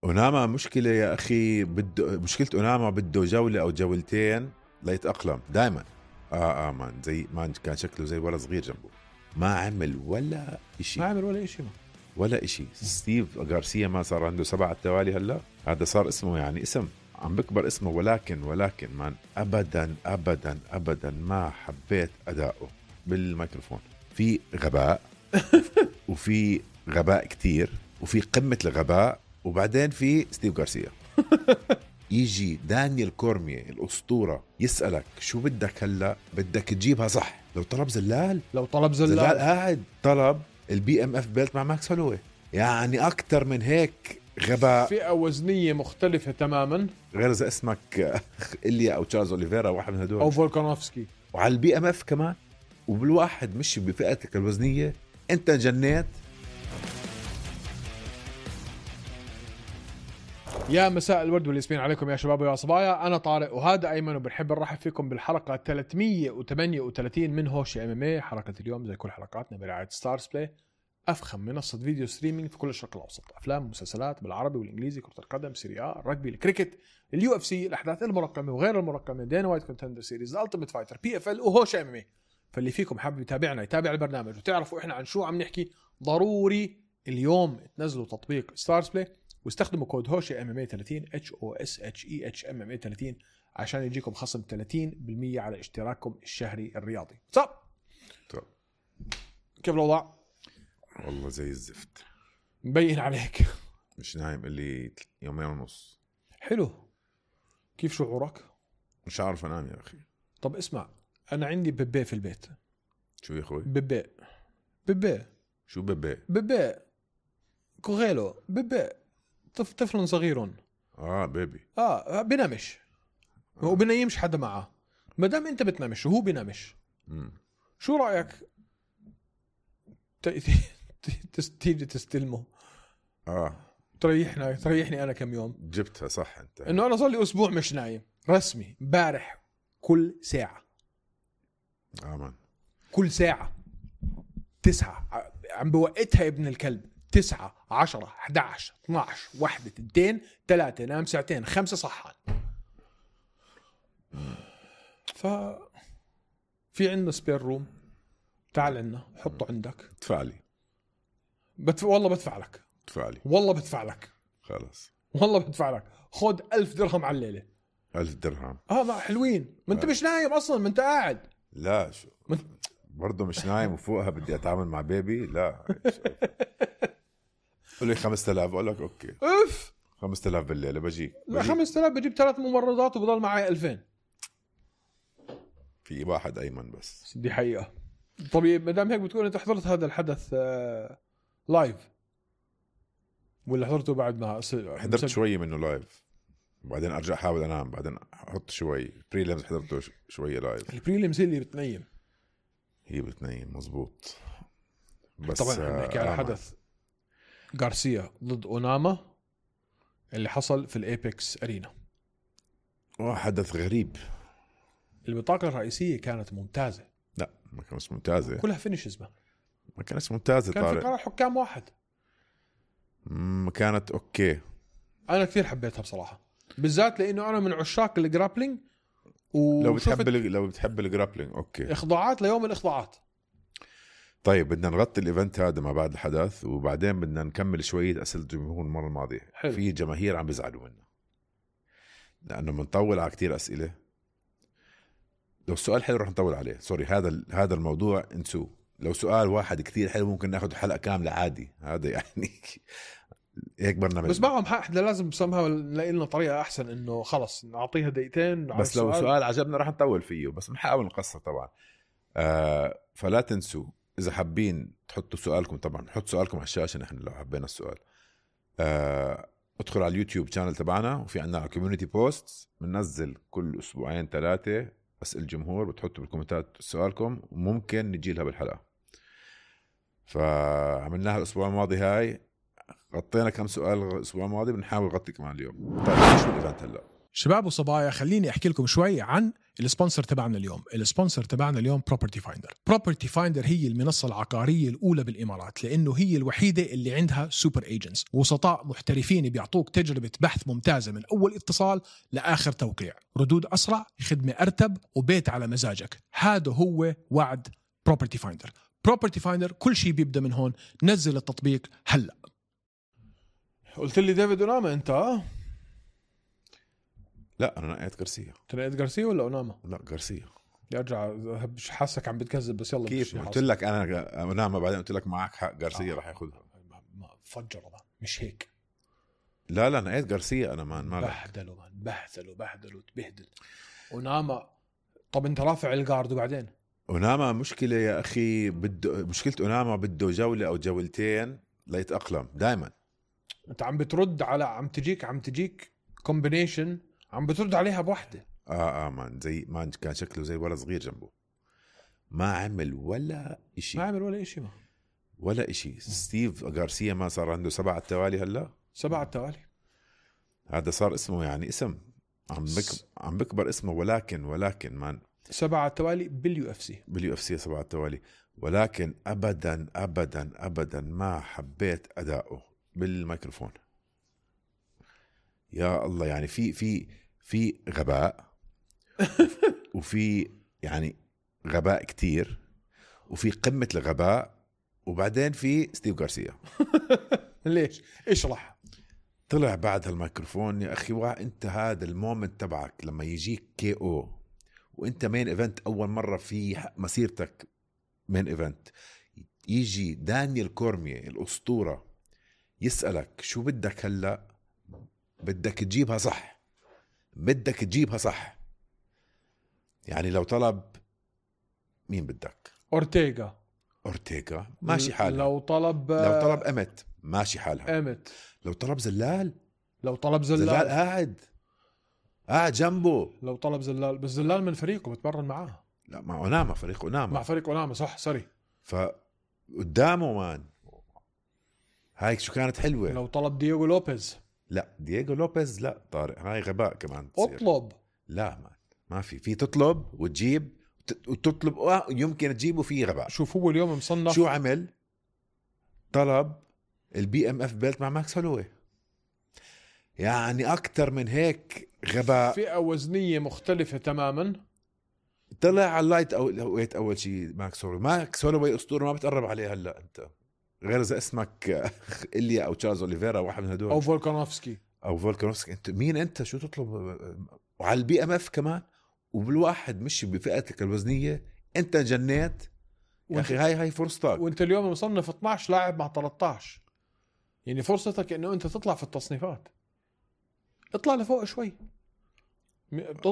أوناما مشكلة يا أخي، مشكلة أوناما بده جولة أو جولتين ليتأقلم دايما. مان زي ما كان شكله زي ولا صغير جنبه، ما عمل ولا إشي، ولا إشي. ستيف غارسيا ما صار عنده 7 توالي هلا، هذا صار اسمه يعني اسم عم بكبر اسمه، ولكن مان أبدا أبدا أبدا ما حبيت أداؤه بالميكروفون. في غباء وفي غباء كتير، وفي قمة الغباء، وبعدين في ستيف غارسيا. يجي دانيال كورميه الأسطورة يسألك شو بدك هلأ، بدك تجيبها صح. لو طلب زلال قاعد طلب البي ام اف بيلت مع ماكس هولوي، يعني أكتر من هيك غباء. فئة وزنية مختلفة تماما، غير إذا اسمك إليا أو تشارلز أوليفيرا، واحد من هدول، أو فولكانوفسكي. وعلى البي ام اف كمان، وبالواحد مش بفئتك الوزنية، أنت جنيت. يا مساء الورد والياسمين عليكم يا شباب ويا صبايا، أنا طارق وهذا أيمن، وبنحب نرحب فيكم بالحلقة 338 من هوش ام ام اي. حلقة اليوم زي كل حلقاتنا برعاية ستارز بلاي، أفخم منصة فيديو ستريمينج في كل الشرق الأوسط. أفلام ومسلسلات بالعربي والإنجليزي، كرة القدم، سيريا، الرجبي، الكريكت، اليو اف سي، الأحداث المرقمة وغير المرقمة، دينا وايت كونتندر سيريز، التيمت فايتر، بي اف ال، وهوش ام ام اي. فاللي فيكم حابب يتابعنا يتابع البرنامج وتعرفوا إحنا عن شو عم نحكي، ضروري اليوم تنزلوا تطبيق ستارز بلاي واستخدموا كود هوشي ام ام اي 30 HOSHEH ام ام اي 30 عشان يجيكم خصم 30% على اشتراككم الشهري الرياضي. طب كيف الوضع؟ والله زي الزفت، مبين عليك مش نايم اللي 2.5 يوم. حلو، كيف شعورك؟ مش عارف انام يا اخي. طب اسمع، انا عندي بيبي في البيت. شو يا اخوي؟ بيبي شو بيبي؟ كوغيلو بيبي، طفل صغير. بيبي. بنامش وبنايمش حدا معه. ما دام انت بتنامش وهو بنامش، شو رايك تيجي تستلمه؟ تريحني انا كم يوم. جبتها صح انت، انه انا صار لي اسبوع مش نايم رسمي. امبارح كل ساعه كل ساعه 9 عم بوقتها ابن الكلب. 9 10 11 12 1 2 3 نام 2 ساعة 5 صحان. في عندنا سبير روم، تعال عنا حطه عندك. ادفع لي. والله بدفع لك. والله بدفع لك. خلاص والله بدفع لك. خد 1000 درهم على الليلة. 1000 درهم ما حلوين. ما انت مش نايم اصلا، ما انت قاعد. لا شو برضه مش نايم، وفوقها بدي اتعامل مع بيبي. لا قول لي 5000، اقول لك اوكي. 5000 بالليله بجيك. لا 5000 بجيب 3 ممرضات وبضل معي 2000. في واحد ايمن بس، دي حقيقه. طبيعي ما دام هيك بتقول انت حضرت هذا الحدث لايف ولا حضرته بعد ما حضرت شويه منه لايف، وبعدين ارجع احاول انام، بعدين احط شوي بريليمز. حضرته شويه لايف. البريليمز هي اللي بتنيم مزبوط. بس طبعا نحكي على حدث غارسيا ضد أوناما اللي حصل في الإيبكس أرينا. حدث غريب. البطاقة الرئيسية كانت ممتازة. لا ما كانت ممتازة، كلها فينيشز. ما كانت ممتازة. كان في قرار حكام واحد. ما كانت أوكي. أنا كثير حبيتها بصراحة، بالذات لأنه أنا من عشاق الجرابلينج. لو بتحب الجرابلينج أوكي. إخضاعات ليوم الإخضاعات. طيب بدنا نغطي الإيفنت هذا ما بعد الحدث، وبعدين بدنا نكمل شوية أسئلة الجمهور المرة الماضية. حلو. في جماهير عم بيزعلوا منا لأنه منطول على كتير أسئلة. لو سؤال حلو رح نطول عليه، سوري. هذا الموضوع انسوه. لو سؤال واحد كتير حلو ممكن ناخد حلقة كاملة عادي. هذا يعني هيك برنامج. بس معهم حق، احنا لازم بسمها نلاقي لنا طريقة أحسن إنه خلص نعطيها دقيقتين. بس لو سؤال عجبنا رح نطول فيه، بس بنحاول نقصر طبعا. فلا تنسوا إذا حابين تحطوا سؤالكم، طبعا حط سؤالكم على الشاشة. نحن لو حبينا السؤال ادخل على اليوتيوب شانل تبعنا، وفي عندنا كوميونيتي بوست بننزل كل أسبوعين 3 أسئلة الجمهور، بتحطوا بالكومنتات سؤالكم وممكن نجي لها بالحلقة. فعملناها الأسبوع الماضي، هاي غطينا كم سؤال الأسبوع الماضي، بنحاول نغطي كمان اليوم. طيب شو الإيفنت هلا؟ شباب وصبايا، خليني احكي لكم شوي عن السبونسر تبعنا اليوم. السبونسر تبعنا اليوم بروبرتي فايندر. بروبرتي فايندر هي المنصة العقارية الأولى بالإمارات، لأنه هي الوحيدة اللي عندها سوبر ايجنتس، وسطاء محترفين بيعطوك تجربة بحث ممتازة من أول اتصال لآخر توقيع، ردود أسرع، خدمة أرتب، وبيت على مزاجك. هذا هو وعد بروبرتي فايندر. بروبرتي فايندر كل شيء بيبدأ من هون. نزل التطبيق هلأ. قلت لي ديفيد أوناما أنت؟ لا انا نقيت غارسيا. تنقيت غارسيا ولا أوناما؟ لا غارسيا. يرجع مش حاسك عم بتكذب، بس يلا. كيف قلت لك انا أوناما بعدين قلت لك معك حق غارسيا رح ياخذها. فجر مش هيك. لا نقيت غارسيا انا ما بهدلوا تبهدل أوناما. طب انت رافع الجارد وبعدين أوناما مشكلة يا أخي، مشكلة أوناما بده جولة أو جولتين ليتأقلم. دايما انت عم بترد على عم تجيك كومبينيشن، عم بترد عليها بوحدة. مان زي ما كان شكله زي ولد صغير جنبه، ما عمل ولا إشي. ولا إشي. ستيف غارسيا ما صار عنده 7 التوالي هلا. 7 التوالي هذا صار اسمه يعني اسم عم بكبر اسمه، ولكن مان 7 التوالي باليو اف سي 7 التوالي. ولكن ابدا ما حبيت اداؤه بالميكروفون. يا الله، يعني في غباء وفي يعني غباء كتير، وفي قمة الغباء، وبعدين في ستيف غارسيا. ليش؟ اشرح. طلع بعد هالميكروفون يا أخي، انت هذا المومنت تبعك لما يجيك كي او وانت مين ايفنت اول مرة في مسيرتك، مين ايفنت، يجي دانيال كورميه الأسطورة يسألك شو بدك هلأ، بدك تجيبها صح. يعني لو طلب مين بدك؟ أورتيغا ماشي حالها. لو طلب أمت ماشي حالها. لو طلب زلال قاعد جنبه. لو طلب زلال، بس زلال من فريقه بتمرن معاه. لا مع أوناما، فريق أوناما. مع فريق أوناما صح، سوري. فقدامه مان هاي شو كانت حلوة. لو طلب دييغو لوبيز. لا دييغو لوبيز لا طارق، هاي غباء كمان تصير. اطلب. لا ما في تطلب وتجيب وتطلب يمكن تجيبه، فيه غباء. شوف هو اليوم مصنف شو عمل؟ طلب البي ام اف بيلت مع ماكس هولوي. يعني اكتر من هيك غباء. فئة وزنية مختلفة تماما. طلع على اللايت ويت اول شيء ماكس هولوي اسطوره ما بتقرب عليه هلا انت، غير اذا اسمك إليا او تشارلز اوليفيرا، واحد من هدول، او فولكانوفسكي. انت مين انت؟ شو تطلب؟ وعلى البي ام اف كمان، وبالواحد مش بفئتك الوزنيه. انت جنيت يا اخي. هاي فرصتك، وانت اليوم مصنف 12 لاعب مع 13. يعني فرصتك انه انت تطلع في التصنيفات. اطلع لفوق شوي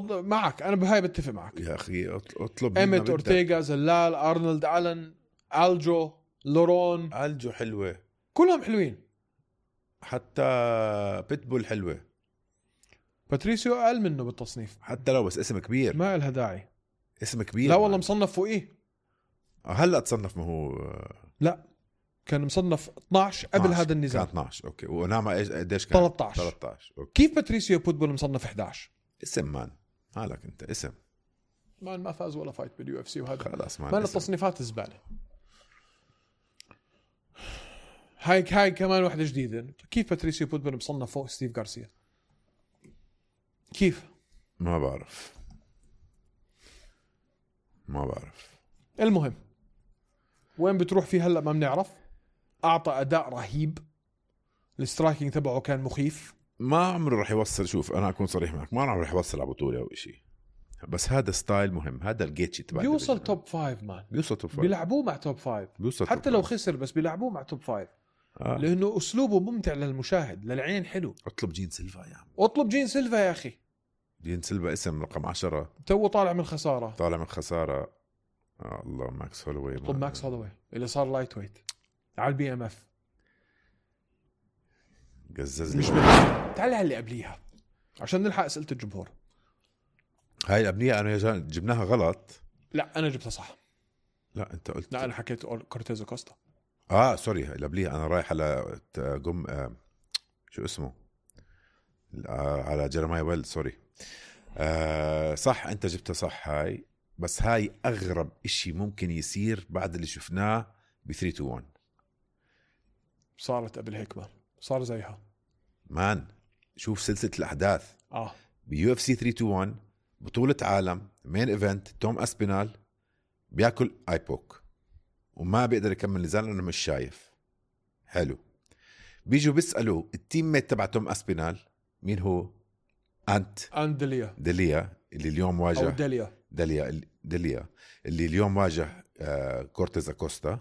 معك. انا بهاي بتفق معك يا اخي. اطلب ايمت، اورتيغا، زلال، ارنولد ألن، الجو، لورون. الجو حلوه، كلهم حلوين. حتى بيتبول حلوه. باتريسيو اقل منه بالتصنيف، حتى لو بس اسم كبير ما لها داعي. اسم كبير. لا والله مصنف فوقيه. هلا تصنف، ما هو لا كان مصنف 12 قبل هذا النزال. كان 12 اوكي. ونعمة قديش كان؟ 13 اوكي. كيف باتريسيو بوتبول مصنف 11؟ اسم مان، مالك انت اسم مان، ما فاز ولا فايت باليو اف سي، وهذا خلاص مان التصنيفات الزباله. هاي كمان واحدة جديدة. كيف باتريسيو بوتبول مصنف فوق ستيف غارسيا؟ كيف؟ ما بعرف. المهم وين بتروح فيه هلأ ما بنعرف. أعطى أداء رهيب، السترايكينج تبعه كان مخيف. ما عمره رح يوصل. شوف أنا أكون صريح معك، ما عمره رح يوصل على بطولة أو إشي، بس هذا ستايل مهم. هذا الجيتشي تبع بيوصل توب 5 مان. بيوصل توب 5. بيلعبوه مع توب 5 حتى لو خسر، بس بيلعبوه مع توب 5 لأنه أسلوبه ممتع للمشاهد، للعين حلو. اطلب جين سيلفا يا عم. اطلب جين سيلفا يا أخي. جين سيلفا اسم رقم 10، تو طالع من خسارة. الله. ماكس هولوي. اطلب ماكس هولوي اللي صار لايت ويت على البي ام اف. قزز مش تعال على اللي قبليها عشان نلحق أسئلة الجمهور. هاي الأبنية أنا جبناها غلط. لا أنا جبتها صح. لا أنت قلت. لا أنا حكيت كورتيز كوستا. سوري. هاي الأبنية أنا رايح على شو اسمه على جيرماي ويل سوري. صح انت جبتها صح هاي، بس هاي اغرب اشي ممكن يصير بعد اللي شفناه ب 3-2-1. صارت قبل هيك ما صار زيها مان شوف سلسلة الاحداث بيو اف سي 3-2-1 بطولة عالم مين ايفنت. توم اسبينال بياكل ايبوك وما بيقدر يكمل نزال لانه مش شايف. حلو. بيجوا بيسألوا التيم ميت تبع توم اسبينال مين هو؟ انت ديليا اللي اليوم واجه، أو ديليا اللي اليوم واجه كورتيز أكوستا.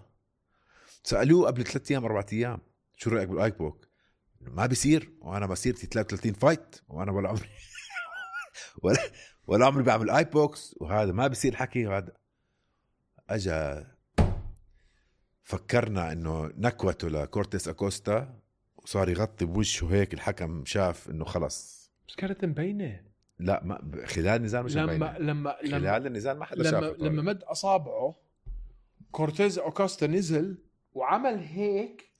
سألوه قبل 3 أيام 4 أيام شو رأيك بالايبوك؟ ما بيصير، وانا مسيرتي 33 فايت وانا ولا عمري ولا عمري بعمل ايبوكس، وهذا ما بيصير حكي. هذا اجا فكرنا انه نكوته لكورتيز أكوستا وصار يغطي بوجهه هيك. الحكم شاف انه خلص بس كانت مبينة. لا ما خلال النزال مش مبينة. خلال النزال ما حدا شافه. لما مد اصابعه كورتيز أكوستا نزل وعمل هيك،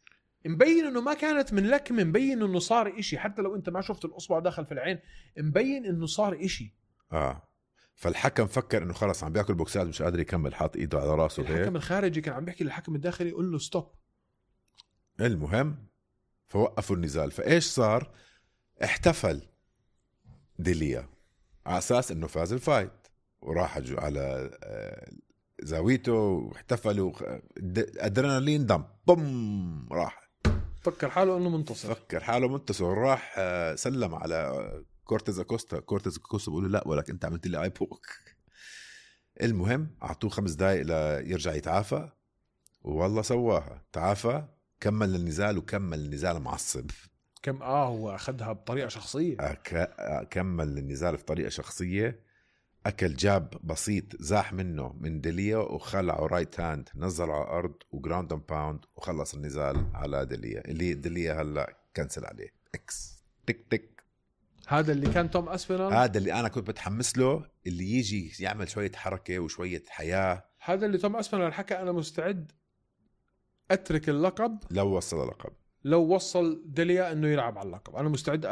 مبين انه ما كانت من لكمه، مبين انه صار اشي. حتى لو انت ما شفت الاصبع دخل في العين مبين انه صار اشي. فالحكم فكر انه خلص عم بياكل بوكسات مش قادر يكمل، حاط ايده على راسه. الحكم الخارجي كان عم بيحكي للحكم الداخلي يقول له ستوب. المهم فوقفوا النزال. فايش صار؟ احتفل ديليا على اساس انه فاز الفايت، وراح على زاويته واحتفلوا. ادرينالين دم بوم راح فكر حاله انه منتصر. وراح سلم على كورتيز أكوستا. بيقول له لا ولك انت عملت لي ايبوك. المهم اعطوه 5 دقائق ليرجع يتعافى، والله سواها. تعافى، كمل النزال وكمل النزال معصب. هو اخذها بطريقه شخصيه. كمل النزال بطريقه شخصيه. اكل جاب بسيط زاح منه من ديليا وخلعه رايت هاند، نزل على الارض وجراوند اند باوند وخلص النزال على ديليا. اللي ديليا هلا كنسل عليه اكس تك تك. هذا اللي كان توم اسبينال، هذا اللي انا كنت بتحمس له، اللي يجي يعمل شويه حركه وشويه حياه. هذا اللي توم اسبينال حكى انا مستعد اترك اللقب لو وصل اللقب، لو وصل ديليا انه يلعب على اللقب. انا مستعد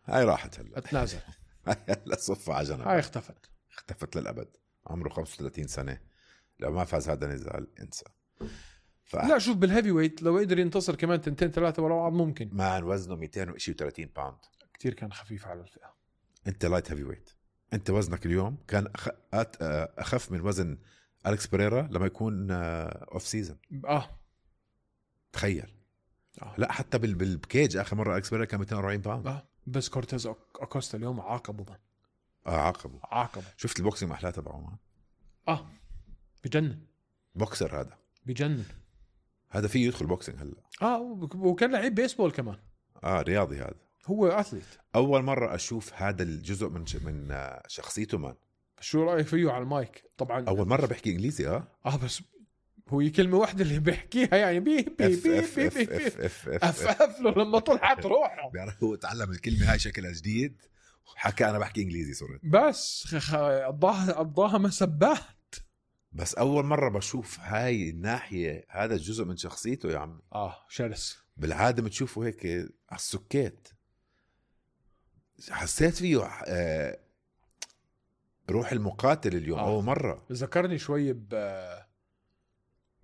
هاي راحت هلا اتنازل. لا صفة عجنة. هاي اختفت للأبد. عمره 35 سنة، لو ما فاز هذا النزال انسى. لا شوف بالهيفي ويت لو قدر ينتصر كمان 2-3 ورا بعض ممكن. مع وزنه 230 باوند كتير كان خفيف على الفئة. انت لايت هيفي ويت، انت وزنك اليوم كان اخف من وزن أليكس بيريرا لما يكون اوف سيزن. تخيل. لا حتى بالكيج اخر مرة أليكس بيريرا كان 240 باوند. بس كورتيز أكوستا اليوم عاقبه من. عاقبه. شفت البوكسينج محلاه تبعه ما؟ بجنن. بوكسر هذا بجنن. هذا فيه يدخل بوكسينج هلا. وكان لعيب بيسبول كمان. رياضي هذا. هو أثليت. أول مرة أشوف هذا الجزء من شخصيته مان. شو رأيك فيه على المايك؟ طبعا أول مرة بحكي إنجليزي. بس هو كلمة واحدة اللي بيحكيها يعني بي أف له لما طلعت روحه. بيعرف هو تعلم الكلمة هاي شكلها جديد وحكى أنا بحكي إنجليزي صرت. بس قضاها مسبات. بس أول مرة بشوف هاي الناحية، هذا الجزء من شخصيته يا عمي. شرس. بالعادة بتشوفه هيك على السكيت. حسيت فيه روح المقاتل اليوم. أول مرة ذكرني شوي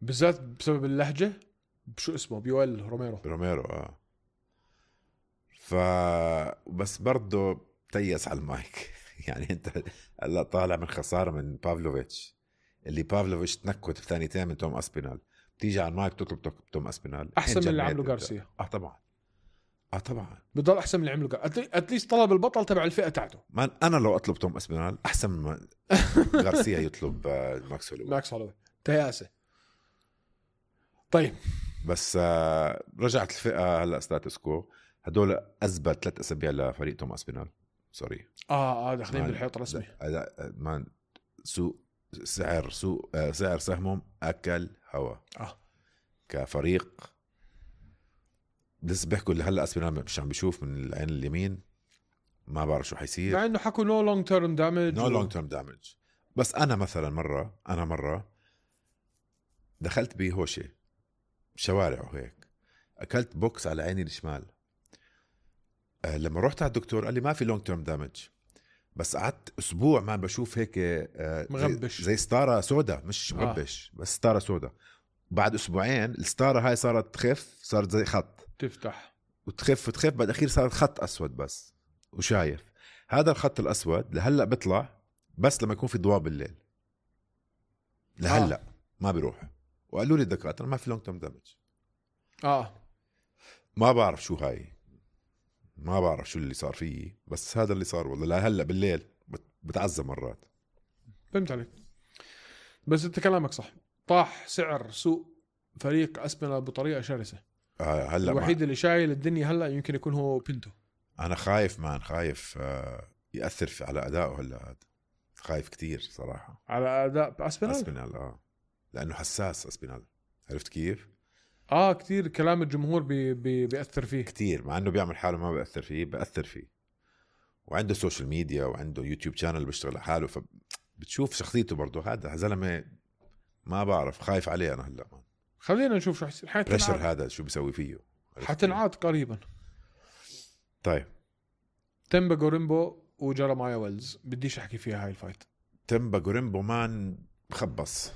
بالذات بسبب اللهجة. بشو اسمه؟ بيويل روميرو. بس برضه تيس على المايك. يعني انت هلا طالع من خسارة من بافلوفيتش، اللي بافلوفيتش تنكت بثانيتين من توم اسبينال، بتيجي على المايك تطلب توم اسبينال احسن من اللي عمله غارسيا. طبعا بضل احسن من اللي عمله اتليست طلب البطل تبع الفئة تاعته. انا لو اطلب توم اسبينال احسن من غارسيا يطلب ماكس هولوي. تياسة. طيب بس رجعت الفئة هلا ستاتس كو. هدول أثبت 3 أسابيع لفريق توم اسبينال. سوري. داخلين بالحيط رسمي. مان سعر سهمهم أكل هوا. كفريق لسه بيحكوا اللي هلا اسبينال مش عم بيشوف من العين اليمين، ما بعرف شو حيصير. مع انه حكوا نو لونج تيرم دامج. بس انا مثلا مرة دخلت بهوشة شوارع وهيك، اكلت بوكس على عيني الشمال. لما رحت على الدكتور قال لي ما في لونج تيرم دامج، بس قعدت اسبوع ما بشوف هيك مغبش زي ستاره سودا، مش مغبش بس ستاره سودا. بعد اسبوعين الستاره هاي صارت تخف، صارت زي خط تفتح وتخف بعد اخير صارت خط اسود بس وشايف. هذا الخط الاسود لهلا بيطلع بس لما يكون في ضوء بالليل، لهلا ما بيروح. وقالوا لي الدكاتره ما في لونج تيرم دامج. ما بعرف شو هاي، ما بعرف شو اللي صار فيه، بس هذا اللي صار والله. لهلا بالليل بتعذب مرات. فهمت عليك، بس انت كلامك صح. طاح سعر سوق فريق اسبينال بطريقه شرسه. هلا الوحيد اللي شايل الدنيا هلا يمكن يكون هو بينتو. انا خايف خايف ياثر على ادائه هلا. هذا خايف كتير صراحه على اداء اسبينال لانه حساس اسبينال، عرفت كيف؟ كتير كلام الجمهور بيأثر فيه كتير، مع انه بيعمل حاله ما بيأثر فيه. وعنده سوشيال ميديا وعنده يوتيوب شانل بيشتغل على حاله، فبتشوف شخصيته برضه. هذا زلمه ما بعرف، خايف عليه انا هلا. خلينا نشوف شو حيصير. بريشر هذا شو بيسوي فيه، حتنعاد قريبا. طيب تيمبا جوريمبو وجيرمايا ويلز بديش احكي فيها هاي الفايت. تيمبا جوريمبو مان خبص.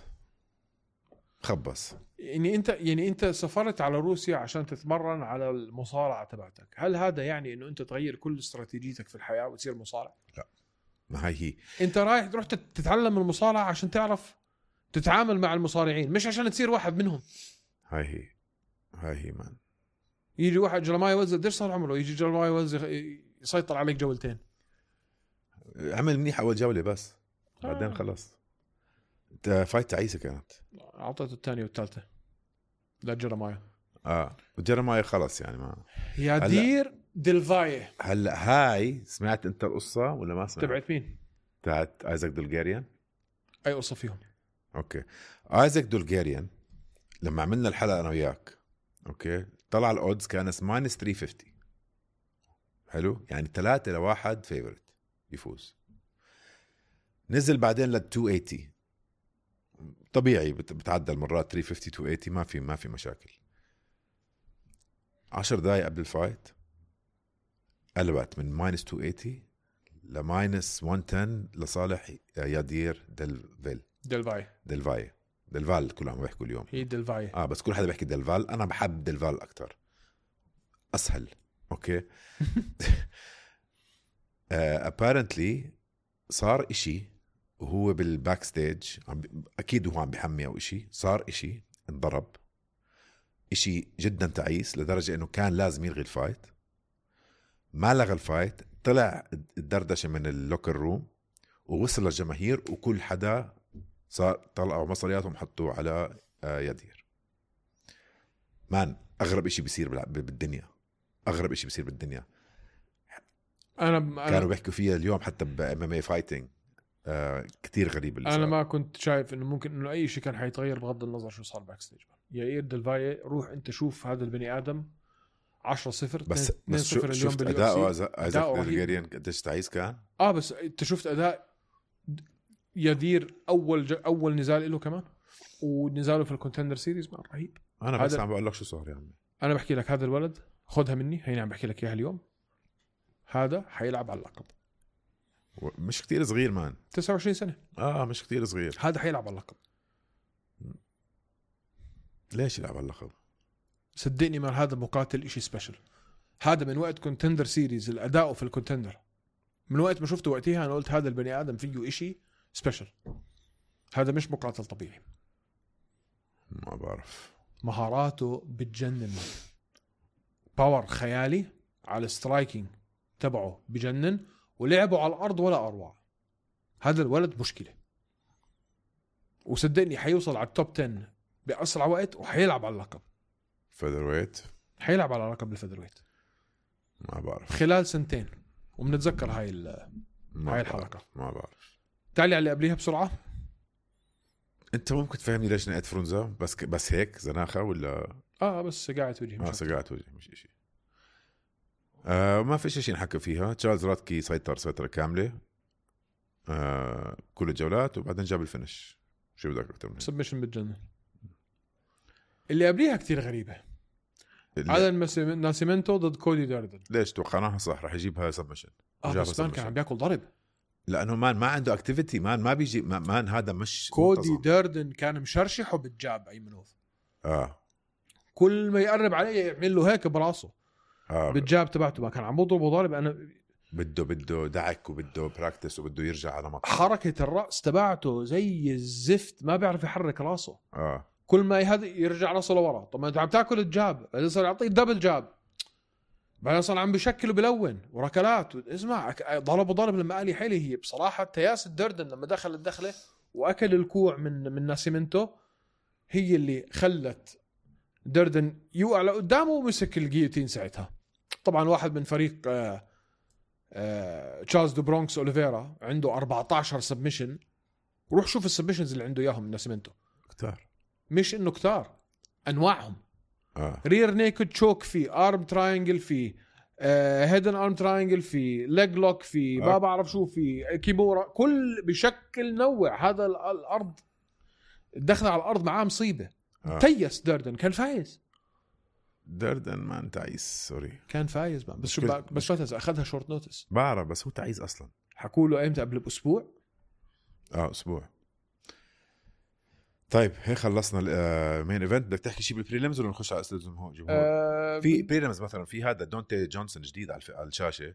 يعني انت سافرت على روسيا عشان تتمرن على المصارعه تبعتك. هل هذا يعني انه انت تغير كل استراتيجيتك في الحياه وتصير مصارع؟ لا، ما هي انت رايح تروح تتعلم المصارعه عشان تعرف تتعامل مع المصارعين، مش عشان تصير واحد منهم. هاي هي مان. يجي واحد جيرمايا ويلز قديش صار عمره، يجي جيرمايا ويلز يسيطر عليك جولتين. عمل منيح اول جوله بس بعدين خلص. فايت تعيسه كانت. اعطيته الثانيه والثالثه لجيرمايا. وجيرمايا خلص يعني ما يادير ديلفاي. هلا هاي سمعت انت القصه ولا ما سمعت؟ تبعت مين؟ تاعت ايزاك دولجيريان. اي قصه فيهم؟ اوكي، ايزاك دولجيريان لما عملنا الحلقه انا وياك، اوكي، طلع الاودز كان ماينس 350. حلو، يعني 3-1 فيفورت يفوز. نزل بعدين لل 280. طبيعي بتعدل مرات 350 280، ما في مشاكل. 10 دقايق قبل الفايت قلبت من ماينس 280 لماينس 110 لصالح يادير ديلفال. كلهم بيحكوا اليوم هي ديلفاي. بس كل حدا بيحكي ديلفال. انا بحب ديلفال اكتر، اسهل. اوكي. apparently صار اشي وهو بالباك ستيج، اكيد هو عم بحمي او اشي، صار اشي، انضرب اشي جدا تعيس لدرجة انه كان لازم يلغي الفايت. ما لغى الفايت، طلع الدردشة من اللوكر روم ووصل للجماهير، وكل حدا صار طلعوا مصرياتهم حطوه على يدير. مان اغرب اشي بيصير بالدنيا، اغرب اشي بيصير بالدنيا. كانوا بيحكوا فيها اليوم حتى بMMA فايتنج. كتير غريب اللي انا ما كنت شايف انه ممكن انه اي شيء كان حيتغير بغض النظر شو صار باك ستيج. يا ديلفاي، روح انت شوف هذا البني ادم 10-0 بس 2-0 اليوم شفت اداؤه ايزاك دولجيريان قديش تعيس كان. بس انت شفت اداء يدير اول نزال له كمان، ونزاله في الكونتندر سيريز ما رهيب. انا بس عم بقول لك شو صار. يعني انا بحكي لك هذا الولد خدها مني، هيني عم بحكي لك اياها اليوم، هذا حيلعب على اللقب. مش كتير صغير مان، 29 سنة. مش كتير صغير. هذا حيلعب على اللقب. ليش يلعب على اللقب؟ صدقني مان، هذا مقاتل اشي سبيشل. هذا من وقت كونتندر سيريز، الاداء في الكونتندر من وقت ما شفته وقتها انا قلت هذا البني ادم فيه اشي سبيشل. هذا مش مقاتل طبيعي. ما بعرف، مهاراته بتجنن، باور خيالي على السترايكينج تبعه بجنن، ولعبوا على الارض ولا اروع. هذا الولد مشكله، وصدقني حيوصل على التوب 10 باسرع وقت، وحيلعب على اللقب فيذر ويت. حيلعب على لقب الفيذر ويت ما بعرف خلال 2 سنين. وبنتذكر هاي الحلقه. ما بعرف. تعالي على اللي قبليها بسرعه. انت ممكن تفهمني ليش نقيت فرونزا؟ بس هيك زناخه ولا بس قاعد وجهي سقعت وجهي مش شيء. ما في شيء نحكي فيها. تشارلز راتكي سيطرة كاملة كل الجولات، وبعدين جاب الفينش. شو بدك أكتر من سبمشن بالجنة. اللي قبليها كتير غريبة. على ناسيمنتو ضد كودي داردن. ليش توقعناها صح؟ رح يجيبها سبمشن. بس مان كان عم بياكل ضرب لانه مان ما عنده اكتيفيتي، مان ما بيجي، مان هذا مش كودي منتظم. داردن كان مشرشحه بالجاب ايمنوف. كل ما يقرب عليه يعمل له هيك براسه. بالجاب تبعته ما كان عم بضربه ضرب. انا بده دعك وبده براكتس وبده يرجع على مطلع. حركه الراس تبعته زي الزفت، ما بيعرف يحرك راسه. كل ما يرجع راسه لورا. طب ما انت عم تاكل الجاب، بعدين صار يعطيك دبل جاب، بعدين صار عم بشكل وبلون وركلات. اسمع ضرب لما قال لي حيلي. هي بصراحه تياس الدردن لما دخل الدخله واكل الكوع من ناسيمنتو هي اللي خلت دردن يوقع لقدامه ومسك الجيوتين ساعتها. طبعا واحد من فريق تشارلز دو برونكس اوليفيرا عنده 14 سبمشن. روح شوف السبمشنز اللي عنده اياهم من ناسيمنتو كتار، مش انه كتار، انواعهم. رير نيكد تشوك، في ارم تراينجل، في هيدن ارم تراينجل، في ليج لوك، في ما بعرف شو، في كيمورا، كل بشكل نوع. هذا الارض الدخل على الارض معاه مصيبه. تيس دردن كان فايز. دردن ما تعيس، سوري كان فايز بقى. بس شو بس اخذها شورت نوتس. بعرف، بس هو تعيس اصلا. حكوا له ايمتى؟ قبل باسبوع. اسبوع. طيب هيك خلصنا المين ايفنت. بدك تحكي شيء بالبريليمز ولا نخش على اسئله الجمهور؟ في بريليمز مثلا في هذا دونتي جونسون جديد على الشاشه،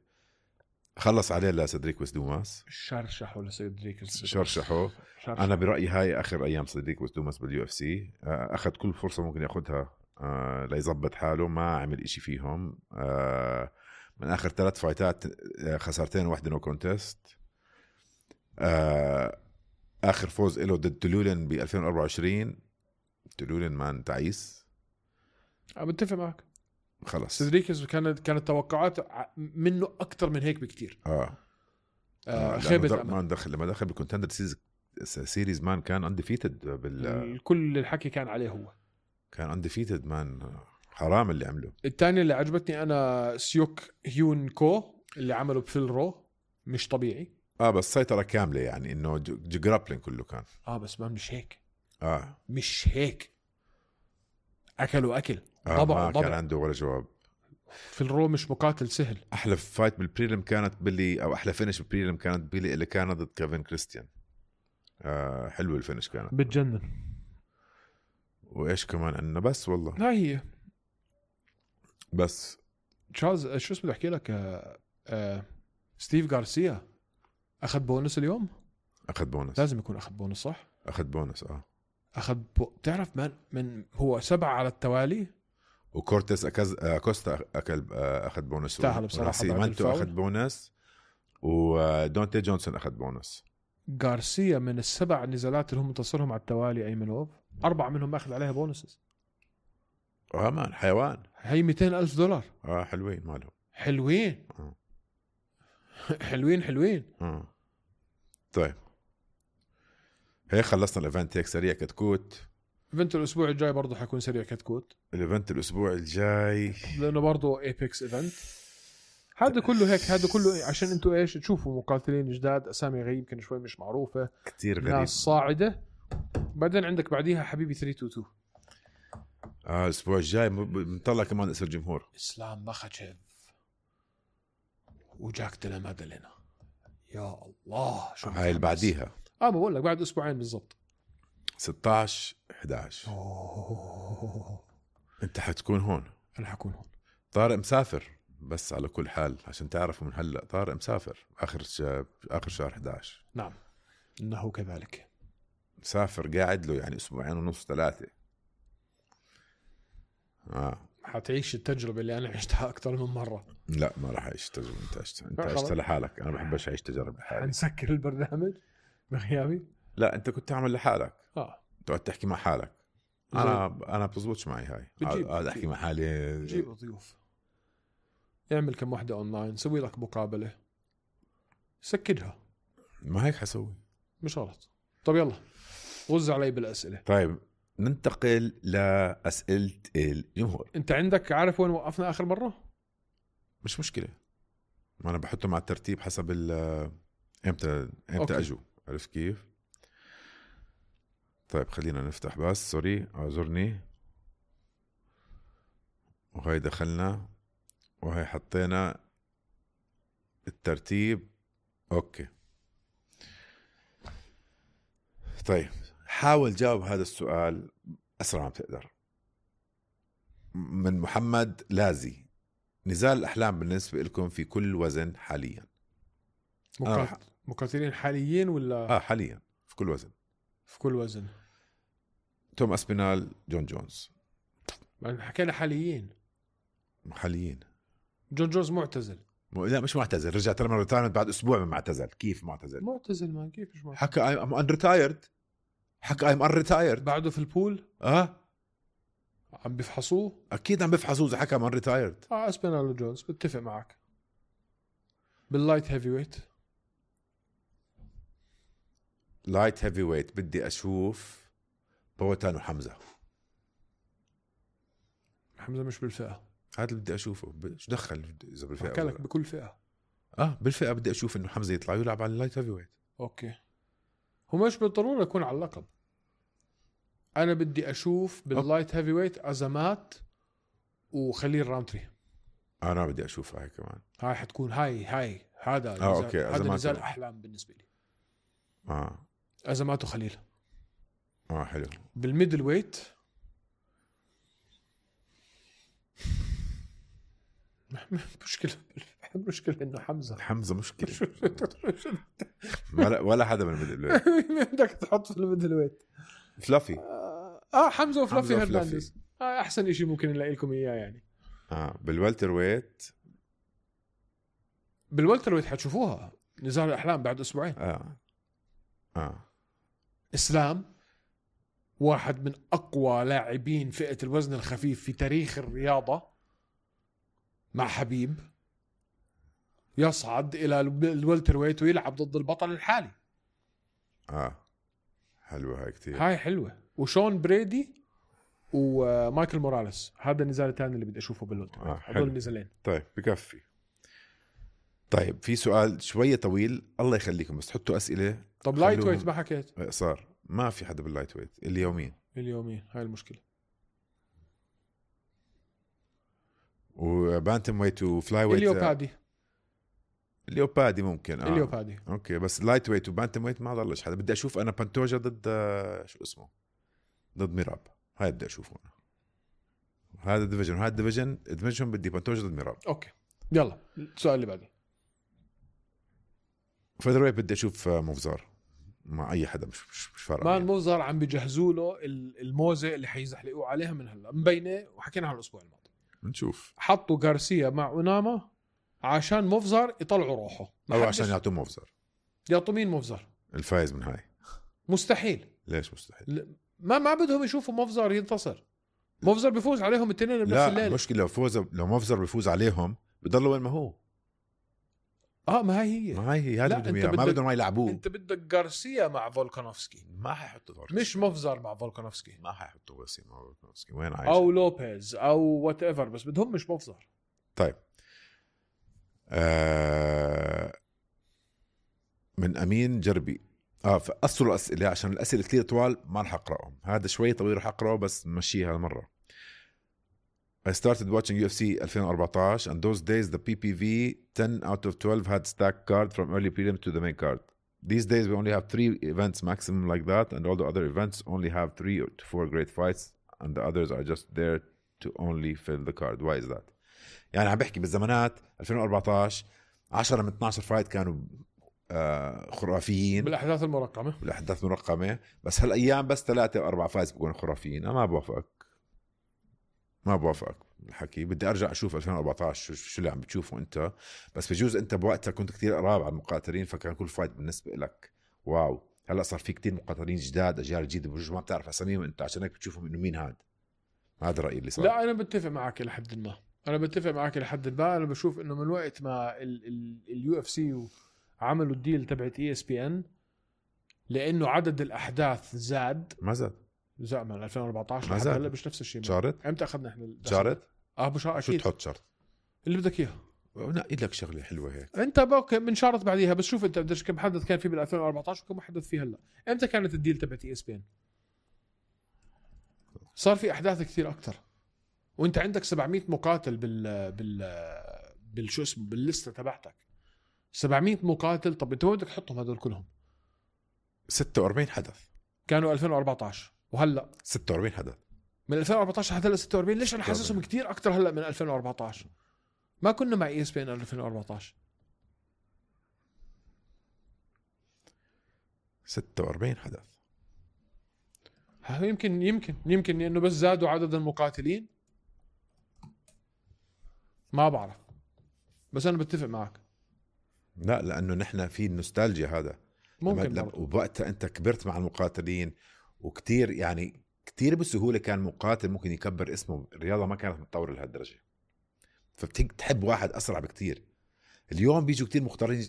خلص عليه لسيدريك دوماس. شرشحوا لسيدريك، شرشحوا. انا برايي هاي اخر ايام سيدريك دوماس باليو اف سي. اخذ كل فرصه ممكن ياخذها ليظبط حاله، ما عمل إشي فيهم. من اخر 3 فايتات خسارتين واحده نو كونتست. اخر فوز له ضد تلولن ب 2024. تلولن مان تعيس. بتفق معك. خلص سيدريكس كانت توقعات منه اكثر من هيك بكتير. خيبة مان لما دخل بالكونتندر سيريز مان كان انديفيتد كل الحكي كان عليه. هو كان انديفيتد مان. حرام اللي عمله. الثاني اللي عجبتني انا سيوك هيون كو اللي عمله بفيل رو، مش طبيعي. بس سيطرة كاملة، يعني انه جرابلين كله كان. بس ما مش هيك. مش هيك. اكلوا اكل. ضبع كان عنده ولا جواب. في الرو مش مقاتل سهل. احلى فايت بالبريلم كانت او احلى فينش بالبريلم كانت اللي كان ضد كيفن كريستيان. حلو الفينش كانت بتجنن. وايش كمان عندنا؟ بس والله هاي هي بس. تشارلز شو اسمه احكي لك. ستيف غارسيا اخذ بونس اليوم. اخذ بونس. لازم يكون اخذ بونس صح. اخذ بونس. تعرف من هو 7 على التوالي. وكورتيس كوستا اخذ بونس. استاهل بصراحه. مانتو اخذ بونس، ودونتي جونسون اخذ بونس. غارسيا من ال7 نزالات اللي هم انتصرهم على التوالي ايمنوف 4 منهم اخذ عليها بونسز. مان حيوان. هي $200,000. حلوين مالهم. حلوين. حلوين. طيب هيك خلصنا الايفنت. هيك سريع كتكوت. ايفنت الاسبوع الجاي برضه حيكون سريع كتكوت. الايفنت الاسبوع الجاي لانه برضه ايبكس ايفنت. هذا كله هيك. هذا كله عشان انتوا ايش تشوفوا مقاتلين جداد، اسامي غريب يمكن شوي مش معروفه، كتير غريب، ناس صاعده. بعدين عندك بعديها حبيبي 322. الاسبوع الجاي بنطلع كمان اسم الجمهور. اسلام مخاتشيف وجاك دلامادلينا. يا الله شو هاي اللي بعديها. بقول لك بعد اسبوعين بالضبط 16/11. انت حتكون هون. انا حكون هون. طارق مسافر، بس على كل حال عشان تعرفوا من هلا طارق مسافر اخر شهر 11. نعم انه كذلك. مسافر قاعد له يعني 2.5-3 اسبوعين. حتعيش التجربة اللي أنا عشتها أكثر من مرة. لا ما راح أعيش تجربة أنت عشت لحالك. أنا بحبش أعيش تجارب لحالي. حنسكر البرنامج بغيابي. لا أنت كنت تعمل لحالك. تقعد تحكي مع حالك. أنا بتزبطش معي هاي. أقعد أحكي مع حالي. جيب ضيوف. اعمل كم واحدة أونلاين، سوي لك مقابلة، سكدها. ما هيك حسوي. مش غلط. طب يلا وزع علي بالأسئلة. طيب ننتقل لأسئلة الجمهور. أنت عندك عارف وين وقفنا آخر مرة؟ مش مشكلة، ما أنا بحطه مع الترتيب حسب إمتى أجوا. عرفت كيف؟ طيب خلينا نفتح بس. سوري اعذرني. وهي دخلنا وهي حطينا الترتيب. اوكي طيب حاول جاوب هذا السؤال اسرع ما بتقدر. من محمد لازي: نزال الأحلام بالنسبة لكم في كل وزن حاليا؟ مقاتلين حاليين ولا حاليا في كل وزن. في كل وزن. توم أسبينال، جون جونز. حكينا حاليين. جون جونز معتزل. لا مش معتزل، رجع ترى من ريتايرمنت بعد اسبوع من معتزل. كيف معتزل ما كيف مش معتزل. حكى I'm unretired. حكى I'm unretired. بعده في البول. عم بيفحصوه. اكيد عم بيفحصوه اذا حكى I'm unretired. اسبينال وجونز بتفق معك. باللايت هيفي ويت. لايت هيفي ويت بدي اشوف بوتان وحمزة. حمزة مش بالفئة. هذا اللي بدي اشوفه. شو دخل اذا بالفئة؟ حكى لك بكل فئة. بالفئة بدي اشوف انه حمزة يطلع ويلعب على اللايت هيفي ويت. اوكي هو مش بالضرورة يكون على اللقب. انا بدي اشوف باللايت هيفي ويت ازمات وخليل رامتري. انا بدي اشوفها هاي كمان. هاي حتكون هاي هذا اوكي هذا نزال احلام بالنسبة لي. ازمات وخليل. حلو. بالميدل ويت مشكلة انه حمزة مشكلة. ولا حدا من الميدل ويت. بدك تحط في الميدل ويت فلافي. حمزة وفلافي هرنانديز. احسن اشي ممكن نلاقي لكم اياه يعني. بالوالتر ويت حتشوفوها نزال الاحلام بعد اسبوعين. اسلام واحد من اقوى لاعبين فئة الوزن الخفيف في تاريخ الرياضة، مع حبيب يصعد الى الوالتر ويت ويلعب ضد البطل الحالي. حلوة هاي كتير. هاي حلوة. وشون بريدي ومايكل موراليس. هذا النزال الثاني اللي بدي اشوفه بالوالتر ويت. هذول النزالين. طيب بكفي. طيب في سؤال شوية طويل، الله يخليكم بس تحطوا أسئلة. طب لايت ويت ما حكيت. صار ما في حدا باللايت ويت. اليومين هاي المشكلة. وبانتم ويت وفلاي ويت. اليوبادي ممكن. اليوبادي اوكي بس لايت ويت وبانتم ويت ما ضلش حدا. بدي اشوف انا بانتوجا ضد شو اسمه، ضد ميراب. هاي بدي اشوفه انا. هذا الديفيجن وهذا الديفيجن بدي بانتوجا ضد ميراب. اوكي يلا السؤال اللي بعده. فيذر ويت بدي اشوف موفزار مع اي حدا. مش فارقه. مان موفزار عم بيجهزوا له الموزه اللي حيزحلقوا عليها من هلا مبينه، وحكينا عن الاسبوع الماضي. نشوف. حطوا غارسيا مع أوناما عشان موفزار يطلعوا روحه، او عشان يعطوا موفزار. يعطوا مين موفزار الفايز من هاي؟ مستحيل. ليش مستحيل؟ ما بدهم يشوفوا موفزار ينتصر. موفزار بيفوز عليهم الاثنين بنفس الليله. لا المشكله لو موفزار بيفوز عليهم بضلوا وين ما هو. ما هي هذا بدهم اياه. ما بدهم ما يلعبوه. انت بدك غارسيا مع فولكانوفسكي. ما حيحطوا غارسيا. مش موفزار مع فولكانوفسكي. ما حيحطوا غارسيا مع فولكانوفسكي. وين عايش؟ او لوبيز او وات ايفر، بس بدهم مش موفزار. طيب من امين جربي. فقصروا الاسئله عشان الاسئله كثير طوال ما رح اقراهم. هذا شوي طويل رح اقراه بس نمشيها هالمره. I started watching UFC 2014 and those days the PPV 10 out of 12 had stacked card from early prelim to the main card. These days we only have 3 events maximum like that, and all the other events only have 3 to 4 great fights and the others are just there to only fill the card. Why is that? يعني عم بحكي بالزمانات 2014 10 من 12 فايت كانوا خرافيين بالاحداث المرقمه، بس هالايام بس 3 أو 4 فايز بيكونوا خرافيين. انا ما بوافقك الحكي. بدي ارجع اشوف 2014 شو اللي عم بتشوفه انت. بس بجوز انت بوقتها كنت كتير قراب على المقاتلين، فكان كل فايت بالنسبه لك واو. هلا صار في كتير مقاتلين جداد، اجيال جديده بجوز ما بتعرف اساميهم انت، عشان هيك بتشوفهم انه مين هذا رايي اللي صار. لا انا بتفق معك لحد ما. انا بشوف انه من وقت ما اليو اف سي عملوا الديل تبعت ESPN، لانه عدد الاحداث زاد. ما زاد من 2014 لحد هلا مش نفس الشيء. شارت امتى اخذنا احنا شارت؟ اكيد. شو تحط شرط اللي بدك اياه. نقي لك شغله حلوه هيك. انت اوكي من شارت بعديها. بس شوف انت بدك كم حدث كان في بال 2014 وكم حدث فيه هلا. امتى كانت الديل تبعت ESPN؟ صار في احداث كثير اكثر. وانت عندك 700 مقاتل بالشو اسمه بالليسته تبعتك 700 مقاتل. طب انت وين بدك تحطهم هذول كلهم؟ 46 حدث كانوا 2014 وهلا 46 حدث من 2014 حتى هلا 46. ليش انا حاسسهم كتير اكتر هلا من 2014؟ ما كنا مع ESPN 2014. 46 حدث. يمكن لانه بس زادوا عدد المقاتلين، ما بعرف، بس انا بتفق معك. لا لانه نحن في النوستالجيا هذا ممكن وبوقتها انت كبرت مع المقاتلين وكتير يعني كتير بسهوله كان مقاتل ممكن يكبر اسمه. الرياضه ما كانت متطوره لهالدرجه، فبتحب واحد اسرع بكتير. اليوم بيجوا كتير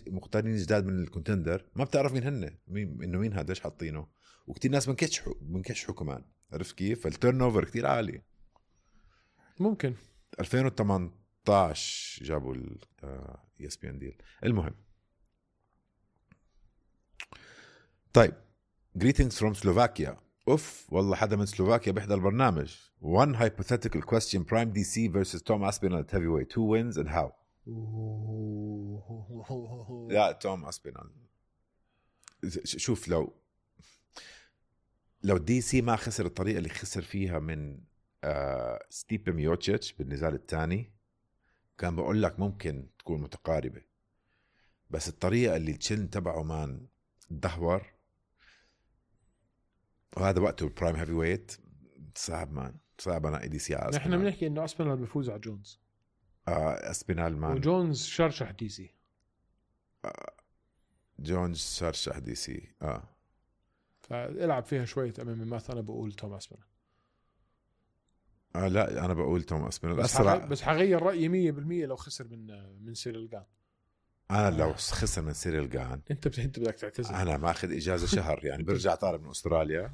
مختارين جداد من الكونتندر، ما بتعرف مين هن، مين هذا، ليش حاطينه، وكتير ناس بنكشحوا كمان. عرفت كيف؟ فالتيرن اوفر كتير عالي. ممكن 2018 جابوا ESPN ديل. المهم طيب greetings from Slovakia. والله حدا من سلوفاكيا بيحضر البرنامج. One hypothetical question: Prime DC versus Tom Aspinall at heavyweight. Who wins and how? لا توم أسبينال. شوف لو دي سي ما خسر الطريقة اللي خسر فيها من ستيبي ميوتشيتش بالنزال الثاني، كان بقول لك ممكن تكون متقاربة. بس الطريقة اللي التشن تبعه مان دهور، وهذا وقته البرايم هيفي ويت، صعب انا اي دي سي. نحن بنحكي انه اسبينال بيفوز على جونز. اسبينال مان وجونز شرشح دي سي. جونز شرشح دي سي. فالعب فيها شوية امامي. مثلا انا بقول توم اسبينال. لا انا بقول توم اسبينال بس حغير رأيي 100% لو خسر من سيريل جان. انا لو خسر من سيريل جان انت بدك تعتذر. انا ماخذ اجازه شهر يعني برجع طالب من استراليا،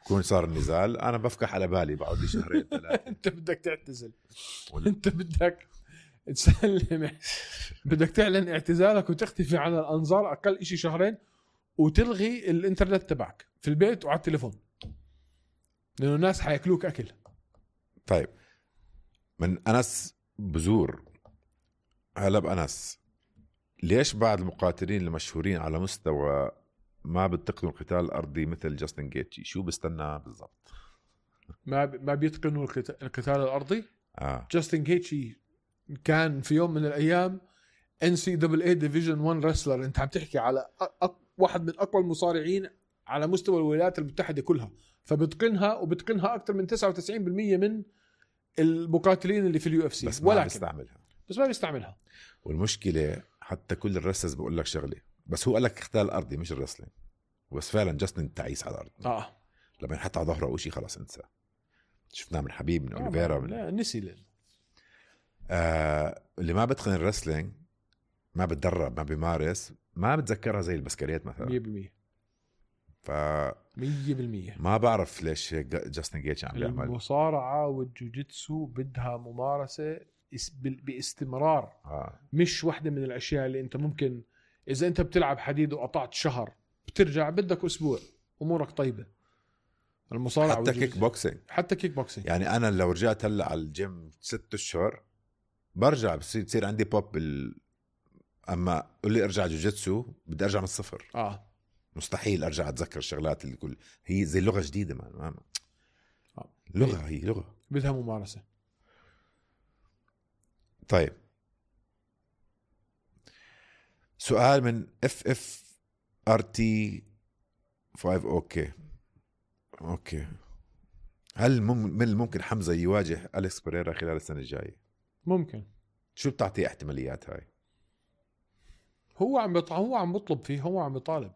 بكون صار النزال، انا بفكح على بالي بقعد لي شهرين ثلاثه. انت بدك تعتزل. انت بدك تسلم، بدك تعلن اعتزالك وتختفي عن الانظار اقل اشي شهرين، وتلغي الانترنت تبعك في البيت وعلى التليفون، لانه الناس حياكلوك اكل. طيب من انس بزور، هلا بأنس، ليش بعض المقاتلين المشهورين على مستوى ما بتقنوا القتال الأرضي مثل جاستن جيتشي؟ شو بستنى بالضبط؟ ما بيتقنوا القتال الأرضي. جاستن جيتشي كان في يوم من الأيام NCAA Division 1 wrestler. انت عم تحكي على واحد من أقوى المصارعين على مستوى الولايات المتحدة كلها، فبتقنها وبتقنها أكثر من 99% من المقاتلين اللي في UFC. بس ما بيستعملها. والمشكلة حتى كل الرسلز بقول لك شغله، بس هو قال لك قتال ارضي مش الرسلين، بس فعلا جاستن تعيس على الارض. لما ينحط على ظهره او شيء خلاص انسى. شفناه من حبيب، من اوليفيرا، لا نسي اللي ما بتقن الرسلينج، ما بتدرب، ما بيمارس، ما بتذكرها زي البسكريات مثلا 100%. 100% ما بعرف ليش جاستن جيتش عم بيعمل. المصارعة والجوجيتسو بدها ممارسة باستمرار. مش واحدة من الأشياء اللي أنت ممكن إذا أنت بتلعب حديد وقطعت شهر بترجع بدك أسبوع أمورك طيبة. المصارعة حتى كيك بوكسينج. يعني أنا لو رجعت هلأ على الجيم 6 أشهر برجع بصير عندي بوب أما قل لي أرجع جوجيتسو بدي أرجع من الصفر. مستحيل أرجع أتذكر الشغلات اللي كل هي زي لغة جديدة. هي لغة بدها ممارسة. طيب سؤال من FFRT 5. اوكي هل من الممكن حمزة يواجه أليكس بيريرا خلال السنة الجاية؟ ممكن. شو بتعطي احتماليات هاي؟ هو عم بطلب فيه، هو عم بيطالب.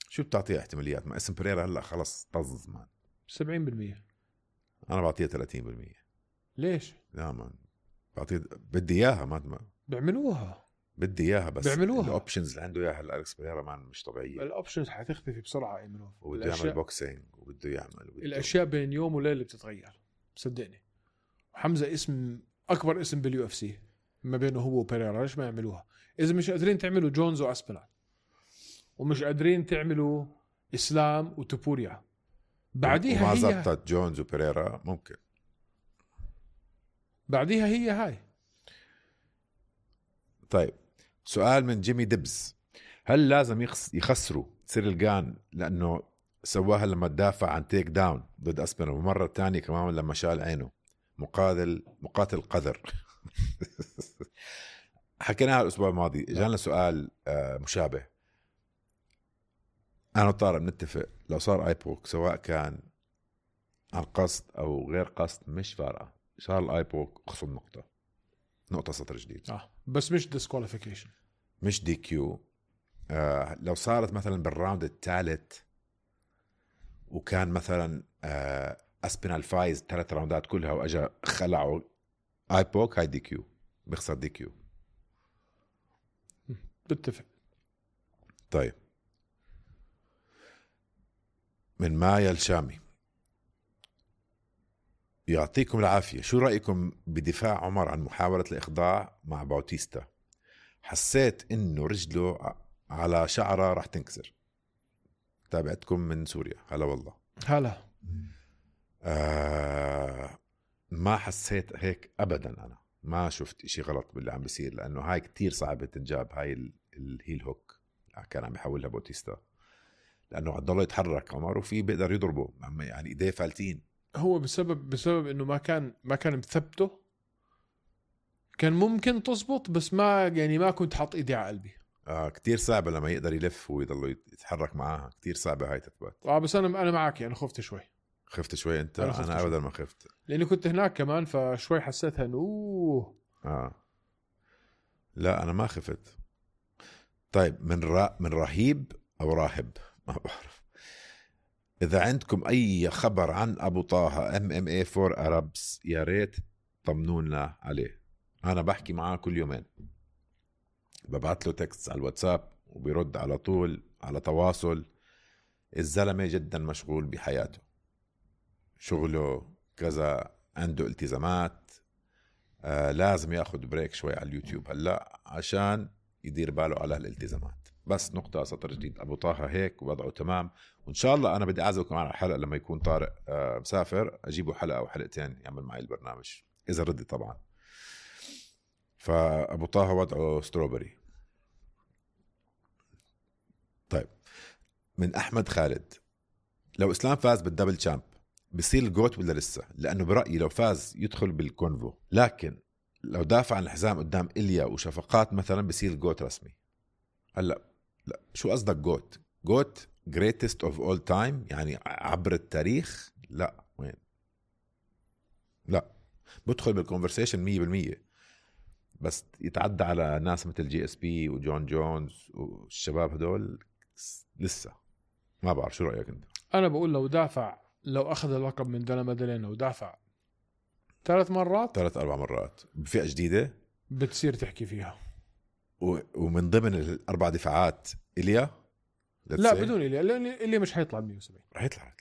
شو بتعطي احتماليات؟ ما اسم بيريرا هلا خلص طز مان. 70%. انا بعطيه 30%. ليش؟ لا مان بعطيه، بدي اياها. ما بيعملوها، بدي اياها، بس بيعملوها. الاوبشنز اللي عنده اياها الالكس بيريرا مان مش طبيعيه. الاوبشنز حتختفي بسرعه ايمنوف، وبده يعمل بوكسينج وبده يعمل الاشياء بين يوم وليله بتتغير صدقني. حمزه اسم اكبر اسم بالUFC ما بينه هو وبيريرا. ليش ما يعملوها؟ اذا مش قادرين تعملوا جونز واسبينال ومش قادرين تعملوا اسلام وتوبوريا بعديها وما هي زبطت جونز وبيريرا، ممكن بعديها هي هاي. طيب سؤال من جيمي ديبز: هل لازم يخسروا سيريل جان لأنه سواها لما تدافع عن تيك داون ضد أسبينال، ومرة تانية كمان لما شال عينه مقاتل قذر؟ حكيناها الأسبوع الماضي، جانا سؤال مشابه. أنا وطارق بنتفق لو صار آيبوك سواء كان عن قصد أو غير قصد مش فارقة، صار الآيبوك خصم نقطة سطر جديد. بس مش ديسكواليفيكيشن، مش دي كيو. لو صارت مثلا بالراوند الثالث وكان مثلا أسبينال فايز 3 راوندات كلها وأجا خلعوا آيبوك، هاي دي كيو، بيخسر دي كيو. بتفق. طيب من مايا الشامي: يعطيكم العافية، شو رأيكم بدفاع عمر عن محاولة الإخضاع مع باوتيستا؟ حسيت إنه رجله على شعره راح تنكسر. تابعتكم من سوريا. هلا والله. هلا. ما حسيت هيك أبدا، أنا ما شفت إشي غلط باللي عم بيصير، لأنه هاي كتير صعبة تنجاب، هاي الهيل هوك كان عم يحولها باوتيستا، لأنه عضله يتحرك عمر وفي بيقدر يضربه، يعني إيديه فالتين. هو بسبب إنه ما كان مثبته، كان ممكن تزبط، بس ما كنت حاط إيدي على قلبي. كتير صعبة لما يقدر يلف ويضل يتحرك معاها، كتير صعبة هاي تثبت. بس أنا معك، يعني خفت شوي. خفت شوي أنت؟ أنا أبدا ما خفت، لأني كنت هناك كمان، فشوي حسيتها إنه لا أنا ما خفت. طيب من رهيب أو راهب ما بعرف، إذا عندكم أي خبر عن أبو طه MMA for Arabs يا ريت طمنونا عليه. أنا بحكي معاه كل يومين، ببعت له تكست على الواتساب وبيرد على طول، على تواصل. الزلمة جدا مشغول بحياته، شغله كذا، عنده التزامات، لازم ياخد بريك شوي على اليوتيوب هلأ عشان يدير باله على الالتزامات. بس نقطة سطر جديد، أبو طه هيك ووضعه تمام، وإن شاء الله أنا بدي أعزمكم على الحلقة لما يكون طارق مسافر، أجيبه حلقة أو حلقتين يعمل معي البرنامج إذا ردي طبعا. فأبو طه وضعه ستروبري. طيب من أحمد خالد: لو إسلام فاز بالدبل تشامب بصير الجوت ولا لسه؟ لأنه برأيي لو فاز يدخل بالكونفو، لكن لو دافع عن الحزام قدام إليا وشفقات مثلا بصير الجوت رسمي. هلا لا، شو قصدك جوت greatest of all time يعني عبر التاريخ؟ لا وين، لا بدخل بالكونفرسيشن 100%، بس يتعدى على ناس مثل GSP وجون جونز والشباب هدول لسه ما بعرف. شو رأيك انت؟ انا بقول لو اخذ اللقب من دانا مادالينا ودافع 3 مرات 3-4 مرات بفئة جديدة بتصير تحكي فيها. ومن ضمن الأربع دفاعات إليا لا بدون إليا، لأن إليا مش هيطلع 170. رح يطلع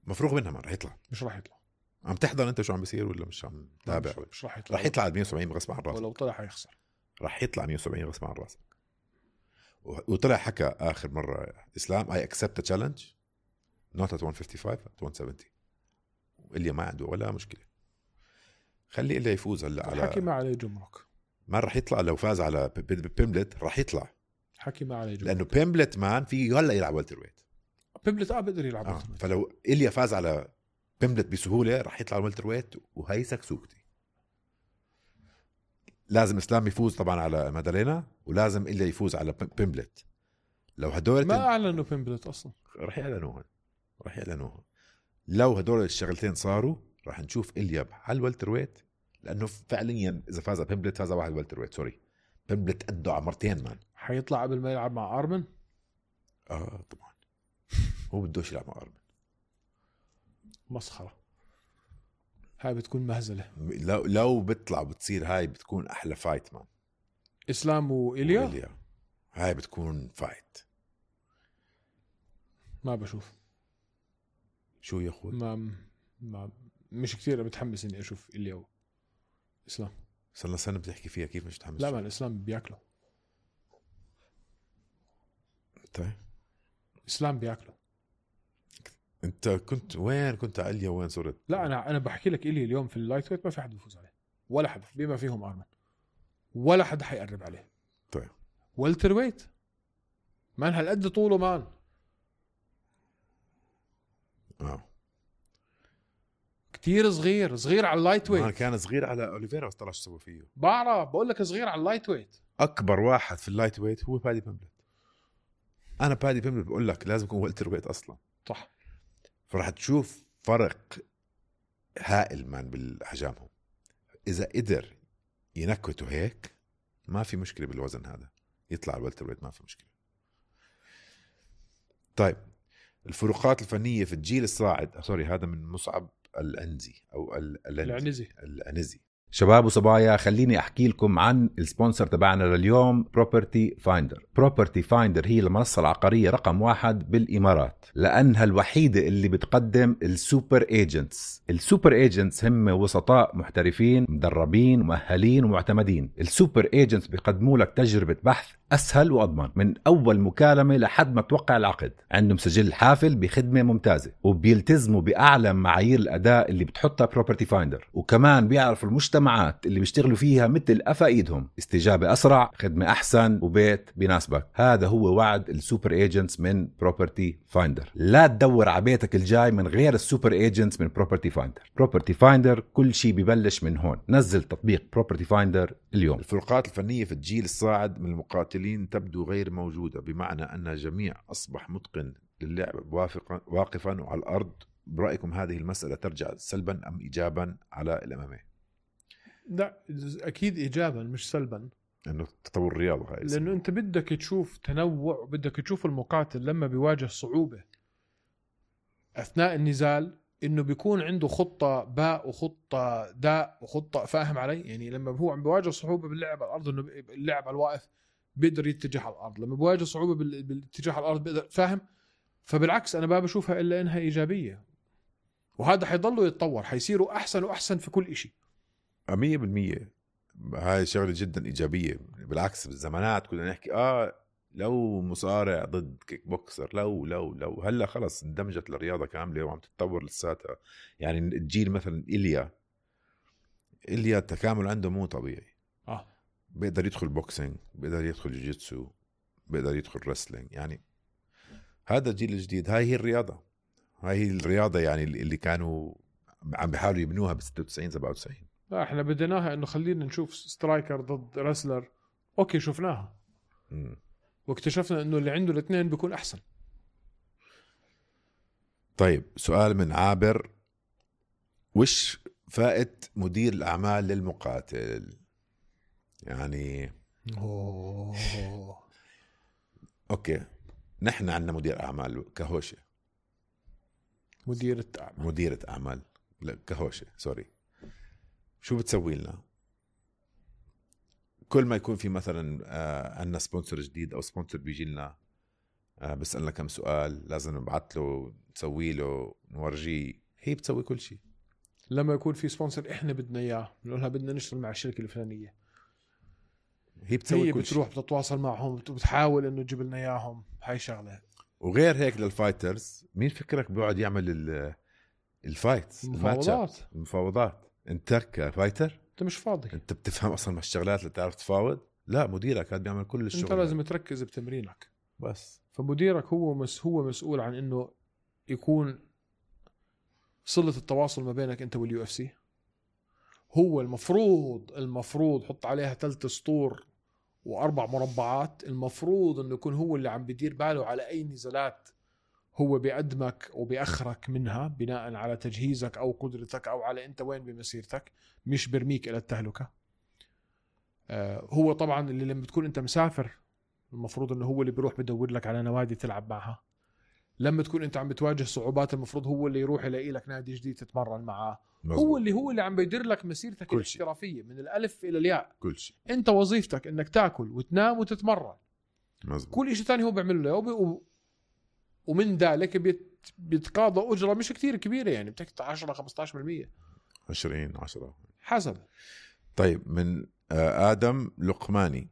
مفروغ منها، ما رح يطلع. مش رح يطلع. عم تحضر انت شو عم بيصير ولا مش عم تابع؟ مش رح يطلع. رح يطلع على 170 غصب عن راسك، ولو طلع حيخسر. رح يطلع 170 غصب عن راسك. وطلع حكى آخر مرة إسلام I accept the challenge not at 155 at 170. وإليا ما عنده ولا مشكلة، خلي إليا يفوز هلا على حكي ما عليه جمرك. ما رح يطلع لو فاز على بيمبلت، رح يطلع حكي ما عليه جمرك، لأنه بيمبلت مان فيه هلا يلعب والتر ويت. بيمبلت بقدر يلعب فلو إليا فاز على بيمبلت بسهولة رح يطلع والتر ويت، وهي سكسوكتي. لازم إسلام يفوز طبعا على مادالينا، ولازم إليا يفوز على بيمبلت. لو هدول ما أعلنوا بيمبلت أصلا، رح يعلنوها. لو هدول الشغلتين صاروا رح نشوف إليا على الوالتر ويت، لأنه فعليا إذا فاز بيمبلت فاز واحد والتر ويت. سوري، بيمبلت قده على مرتين مان. حيطلع قبل ما يلعب مع أرمن. طبعا هو بدوش يلعب مع أرمن. مسخرة، هاي بتكون مهزلة. لو بيطلع بتصير هاي بتكون أحلى فايت مان، إسلام وإليا. هاي بتكون فايت. ما بشوف شو يا أخوي، ما مش كتير متحمس إني أشوف إليا وإسلام. صرنا سنة بتحكي فيها، كيف مش متحمس؟ لا ما الإسلام بياكله. طيب إسلام بياكله. انت كنت وين؟ كنت على إليا وين صرت؟ لا انا بحكي لك إلي اليوم في اللايت ويت ما في حد بيفوز عليه، ولا حد بما فيهم ارمن، ولا حد حيقرب عليه. طيب والتر ويت مان هالقد طوله مان كتير صغير على اللايت ويت. كان صغير على اوليفيرا بس طلع شو سوى فيه. بعرف بقول لك صغير على اللايت ويت. اكبر واحد في اللايت ويت هو بادي بيمبلت. انا بادي بيمبلت بقول لك لازم يكون والتر ويت اصلا، صح. فراح تشوف فرق هائل مان بالاحجامهم. اذا قدر ينكته هيك ما في مشكله بالوزن هذا، يطلع الوالتر ويت ما في مشكله. طيب الفروقات الفنيه في الجيل الصاعد، سوري هذا من مصعب الأنزي أو الأنزي. شباب وصبايا، خليني أحكي لكم عن السبونسر تبعنا لليوم، بروبرتي فايندر. بروبرتي فايندر هي المنصة العقارية رقم 1 بالإمارات، لأنها الوحيدة اللي بتقدم السوبر ايجنتس. السوبر ايجنتس هم وسطاء محترفين مدربين مؤهلين ومعتمدين. السوبر ايجنتس بيقدموا لك تجربة بحث أسهل وأضمن من أول مكالمة لحد ما توقع العقد. عندهم سجل حافل بخدمة ممتازة، وبيلتزموا بأعلى معايير الأداء اللي بتحطها بروبرتي فايندر. وكمان بيعرفوا المجتمعات اللي بيشتغلوا فيها مثل قفا إيدهم. استجابة أسرع، خدمة أحسن، وبيت بيناسبك. هذا هو وعد السوبر ايجنتس من بروبرتي فايندر. لا تدور على بيتك الجاي من غير السوبر ايجنتس من بروبرتي فايندر. بروبرتي فايندر كل شيء ببلش من هون. نزل تطبيق بروبرتي فايندر اليوم. الفروقات الفنية في الجيل الصاعد من المقاتلين تبدو غير موجودة، بمعنى أن الجميع أصبح متقن للعب واقفا وعلى الأرض. برأيكم هذه المسألة ترجع سلبا أم إيجابا على الأمامي؟ لا أكيد إيجابا مش سلبا، إنه تطور الرياضة هاي، لأنه أنت بدك تشوف تنوع وبدك تشوف المقاتل لما بيواجه صعوبة أثناء النزال إنه بيكون عنده خطة باء وخطة داء وخطة، فاهم علي؟ يعني لما هو عم بيواجه صعوبة باللعب على الأرض إنه اللعب على الواقف بيقدر يتجه على الأرض، لما بيواجه صعوبة بالاتجاه على الأرض بيقدر، فاهم؟ فبالعكس أنا ما بشوفها إلا إنها إيجابية، وهذا حيضلوا يتطور، حيصيروا أحسن وأحسن في كل إشي. 100%. هاي شغلة جدا إيجابية. بالعكس بالزمانات كنا نحكي لو مصارع ضد كيك بوكسر، لو هلا خلص اندمجت الرياضة كاملة وعم تتطور لساتها. يعني الجيل مثلا إليا التكامل عنده مو طبيعي. بيقدر يدخل بوكسينج، بيقدر يدخل جوجيتسو، بيقدر يدخل رسلينج. يعني هذا الجيل الجديد، هاي هي الرياضة، هاي هي الرياضة يعني اللي كانوا عم بيحاولوا يبنوها ب 96 97. لا احنا بديناها انه خلينا نشوف سترايكر ضد رسلر، اوكي شفناها واكتشفنا انه اللي عنده الاثنين بيكون احسن. طيب سؤال من عابر، وش فائدة مدير الأعمال للمقاتل؟ يعني اوكي نحن عندنا مدير أعمال كهوشة، مديرة أعمال كهوشة سوري، شو بتسوي لنا؟ كل ما يكون في مثلا عندنا سبونسر جديد أو سبونسر بيجي لنا بسألنا كم سؤال، لازم نبعث له، نسوي له، نورجيه. هي بتسوي كل شيء. لما يكون في سبونسر احنا بدنا اياه، بنقولها بدنا نشتغل مع الشركة الفلانية، هي بتسوي كل بتروح شيء. بتتواصل معهم وبتحاول انه تجيب لنا اياهم. هاي شغلة. وغير هيك للفايترز، مين فكرك بيقعد يعمل الفايت المفاوضات؟ انت كفايتر انت مش فاضي، انت بتفهم اصلا مع الشغلات اللي تعرف تفاوض؟ لا، مديرك هذا بيعمل كل الشغل. انت لازم تركز بتمرينك بس. فمديرك هو مسؤول عن انه يكون صلة التواصل ما بينك انت واليو اف سي. هو المفروض حط عليها 3 سطور و4 مربعات. المفروض انه يكون هو اللي عم بيدير باله على اي نزالات هو بيقدمك وبيأخرك منها بناء على تجهيزك او قدرتك او على انت وين بمسيرتك، مش برميك الى التهلكة. هو طبعا اللي لما تكون انت مسافر المفروض انه هو اللي بيروح بدور لك على نوادي تلعب معها. لما تكون انت عم بتواجه صعوبات المفروض هو اللي يروح يلاقي لك نادي جديد تتمرن معاه. هو اللي عم بيدير لك مسيرتك الاحترافية من الالف الى الياء. كل شيء. انت وظيفتك انك تاكل وتنام وتتمرن. مزبوط. كل شيء تاني هو بيعمل له، ومن ذلك بيتقاضى أجرة مش كتير كبيرة، يعني بتحكي 10-15%، 20-10 حسب. طيب من آدم لقماني،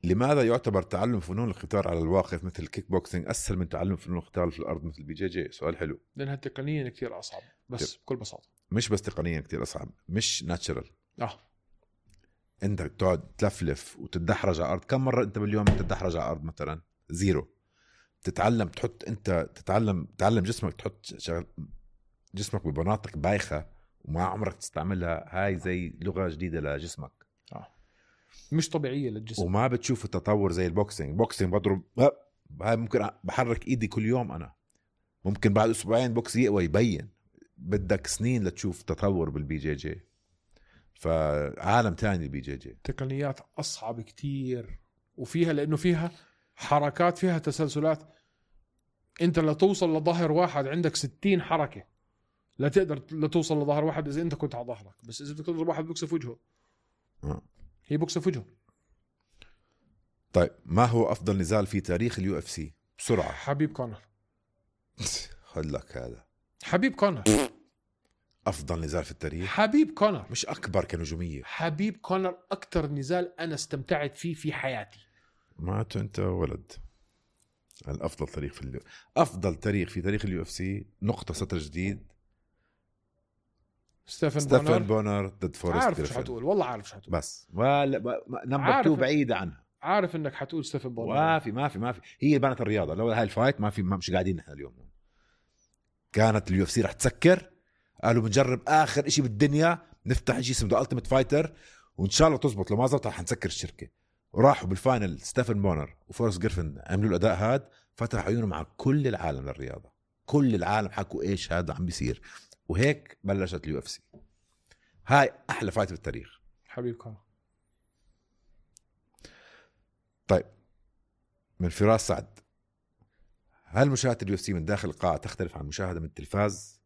لماذا يعتبر تعلم فنون القتال على الواقف مثل الكيك بوكسينج أسهل من تعلم فنون القتال في الأرض مثل بي جي جي؟ سؤال حلو. لأنها تقنيا كتير أصعب بس بكل بساطة. مش بس تقنيا كتير أصعب، مش ناتشرال. انت تقعد تلفلف وتتدحرج على الارض. كم مره انت باليوم تتدحرج على الارض؟ مثلا 0. تتعلم تحط، انت تعلم جسمك تحط جسمك بمناطق بايخه وما عمرك تستعملها. هاي زي لغه جديده لجسمك، مش طبيعيه للجسم، وما بتشوف التطور زي البوكسينج بضرب هاي ممكن بحرك ايدي كل يوم، انا ممكن بعد اسبوعين بوكس يقوى يبين. بدك سنين لتشوف تطور بالبي جي جي. فعالم تاني البي جي جي، تقنيات أصعب كتير، وفيها لأنه فيها حركات، فيها تسلسلات. أنت لتوصل لظهر واحد عندك 60 حركة لا تقدر لتوصل لظهر واحد إذا أنت كنت على ظهرك. بس إذا بدك تضرب واحد بوكسه في وجهه، هي بوكسه في وجهه. طيب ما هو أفضل نزال في تاريخ اليو اف سي بسرعة؟ حبيب كونر. خد لك هذا حبيب كونر أفضل نزال في التاريخ. حبيب كونر مش أكبر كنجومية. حبيب كونر أكتر نزال أنا استمتعت فيه في حياتي. ما أنت ولد. الأفضل تاريخ في أفضل تاريخ في تاريخ اليو اف سي نقطة سطر جديد. ستيفن بونر ضد فورست عارف جريفن. شو حتقول، والله عارف شو حتقول، بس نمبر 2 بعيدة عنها. عارف انك حتقول ستيفن بونر. ما في هي بنت الرياضة. لو هاي الفايت ما في، مش قاعدين نحن اليوم. كانت اليو اف سي رح تسكر، قالوا بنجرب آخر إشي بالدنيا، نفتح إشي اسمه التيمت فايتر وإن شاء الله تزبط. لو ما زبط رح نسكر الشركة. وراحوا بالفاينل ستيفن بونر وفورست جريفن عملوا الأداء هاد، فتح عيونهم على كل العالم للرياضة. كل العالم حكوا إيش هذا عم بيصير، وهيك بلشت اليو اف سي. هاي أحلى فايت بالتاريخ. حبيب كونر. طيب من فراس سعد، هل مشاهدة اليو اف سي من داخل القاعة تختلف عن مشاهدة من التلفاز؟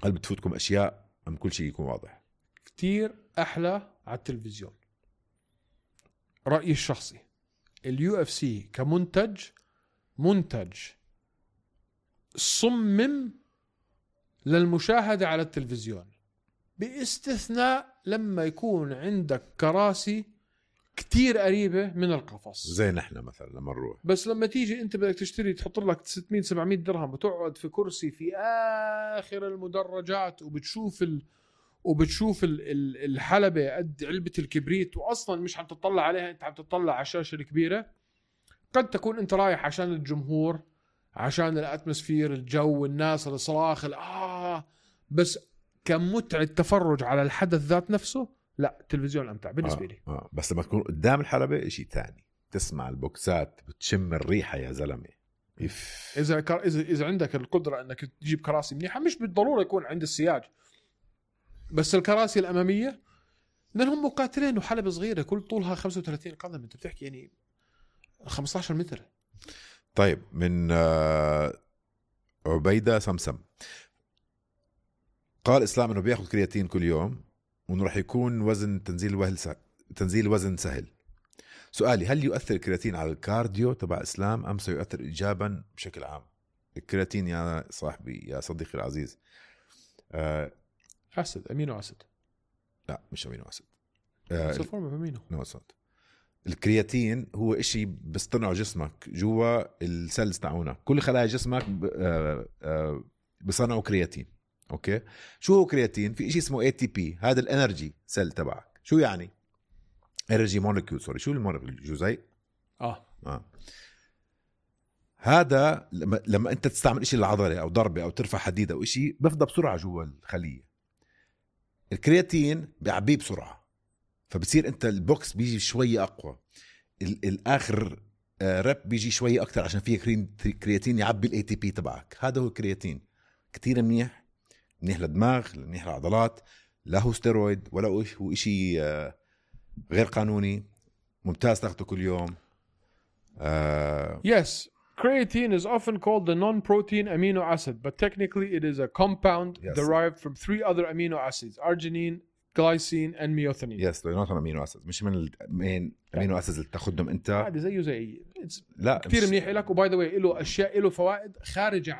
هل بتفوتكم أشياء أم كل شيء يكون واضح؟ كتير أحلى على التلفزيون. رأيي الشخصي، اليو اف سي كمنتج، منتج صمم للمشاهدة على التلفزيون، باستثناء لما يكون عندك كراسي كتير قريبة من القفص زي نحن مثلا لما نروح. بس لما تيجي انت بدك تشتري، تحط لك 600-700 درهم وتقعد في كرسي في آخر المدرجات وبتشوف الحلبة قد علبة الكبريت، وأصلا مش عم تطلع عليها، انت عم تطلع على الشاشة الكبيرة. قد تكون انت رايح عشان الجمهور، عشان الاتموسفير، الجو، الناس، الصراخ، بس كمتعة تفرج على الحدث ذات نفسه، لا، التلفزيون أمتع بالنسبة لي. بس لما تكون قدام الحلبة إشي تاني، تسمع البوكسات، بتشم الريحة يا زلمة. إذا عندك القدرة أنك تجيب كراسي منيحة، مش بالضرورة يكون عند السياج، بس الكراسي الأمامية، لأنهم مقاتلين وحلبة صغيرة كل طولها 35 قدم، أنت بتحكي يعني 15 متر. طيب من عبيدة سمسم، قال إسلام أنه بياخد كرياتين كل يوم وأنه رح يكون وزن تنزيل وزن سهل. سؤالي، هل يؤثر الكرياتين على الكارديو تبع إسلام أم سيؤثر إيجابا بشكل عام؟ الكرياتين يا صاحبي، يا صديقي العزيز، أسد، أمينو أسد. لا مش أمينو أسد، سلفورم أمينو. الكرياتين هو إشي بيصطنعه جسمك جوا السيلز تاعونا. كل خلايا جسمك بصنعوا كرياتين. اوكي، شو هو كرياتين؟ في إشي اسمه ATP، هذا الانرجي سيل تبعك. شو يعني انرجي مولكيول؟ سوري، شو المولكيول؟ جزيء. هذا لما انت تستعمل إشي للعضله او ضربه او ترفع حديد او إشي، بفضى بسرعه جوا الخليه. الكرياتين بيعبيه بسرعه، فبتصير انت البوكس بيجي شويه اقوى، الاخر رب بيجي شويه اكتر عشان فيه كرياتين يعبي الATP تبعك. هذا هو الكرياتين. كتير منيح للدماغ، منيح للعضلات، لا هو ستيرويد ولا هو إشي غير قانوني. ممتاز تاخده كل يوم. Yes, creatine is often called the non-protein amino acid, but technically it is a compound derived from 3 other amino acids: arginine, glycine and methionine. Yes, they're not amino acids. مش من المين amino acids اللي تاخدهم انت. عادي زي لا كتير منيح لك. وباي ذا واي له اشياء، له فوائد خارجه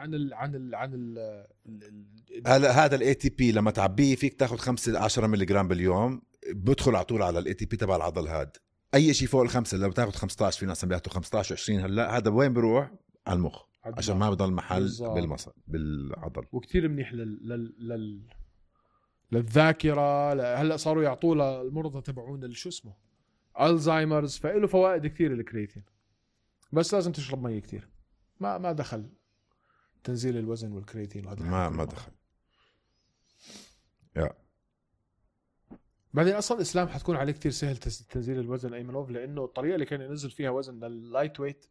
هذا الATP لما تعبيه فيك تاخد 5-10 ملغ باليوم، بدخل على طول على الATP تبع العضل. هاد اي شيء فوق الخمسة لو بتاخد 15 في ناس بياخدوا 15 و20 هلا هذا وين بيروح على المخ عشان ما بضل محل بالظبط. بالعضل. وكتير منيح للذاكره. هلا صاروا يعطوه للمرضى تبعون شو اسمه الزهايمرز، فإله فوائد كثير الكرياتين، بس لازم تشرب مي كثير. ما دخل تنزيل الوزن والكرياتين وهذا ما دخل. بعدين اصلا الاسلام حتكون عليه كتير سهل تنزيل الوزن ايمنوف، لانه الطريقه اللي كان ينزل فيها وزن لللايت ويت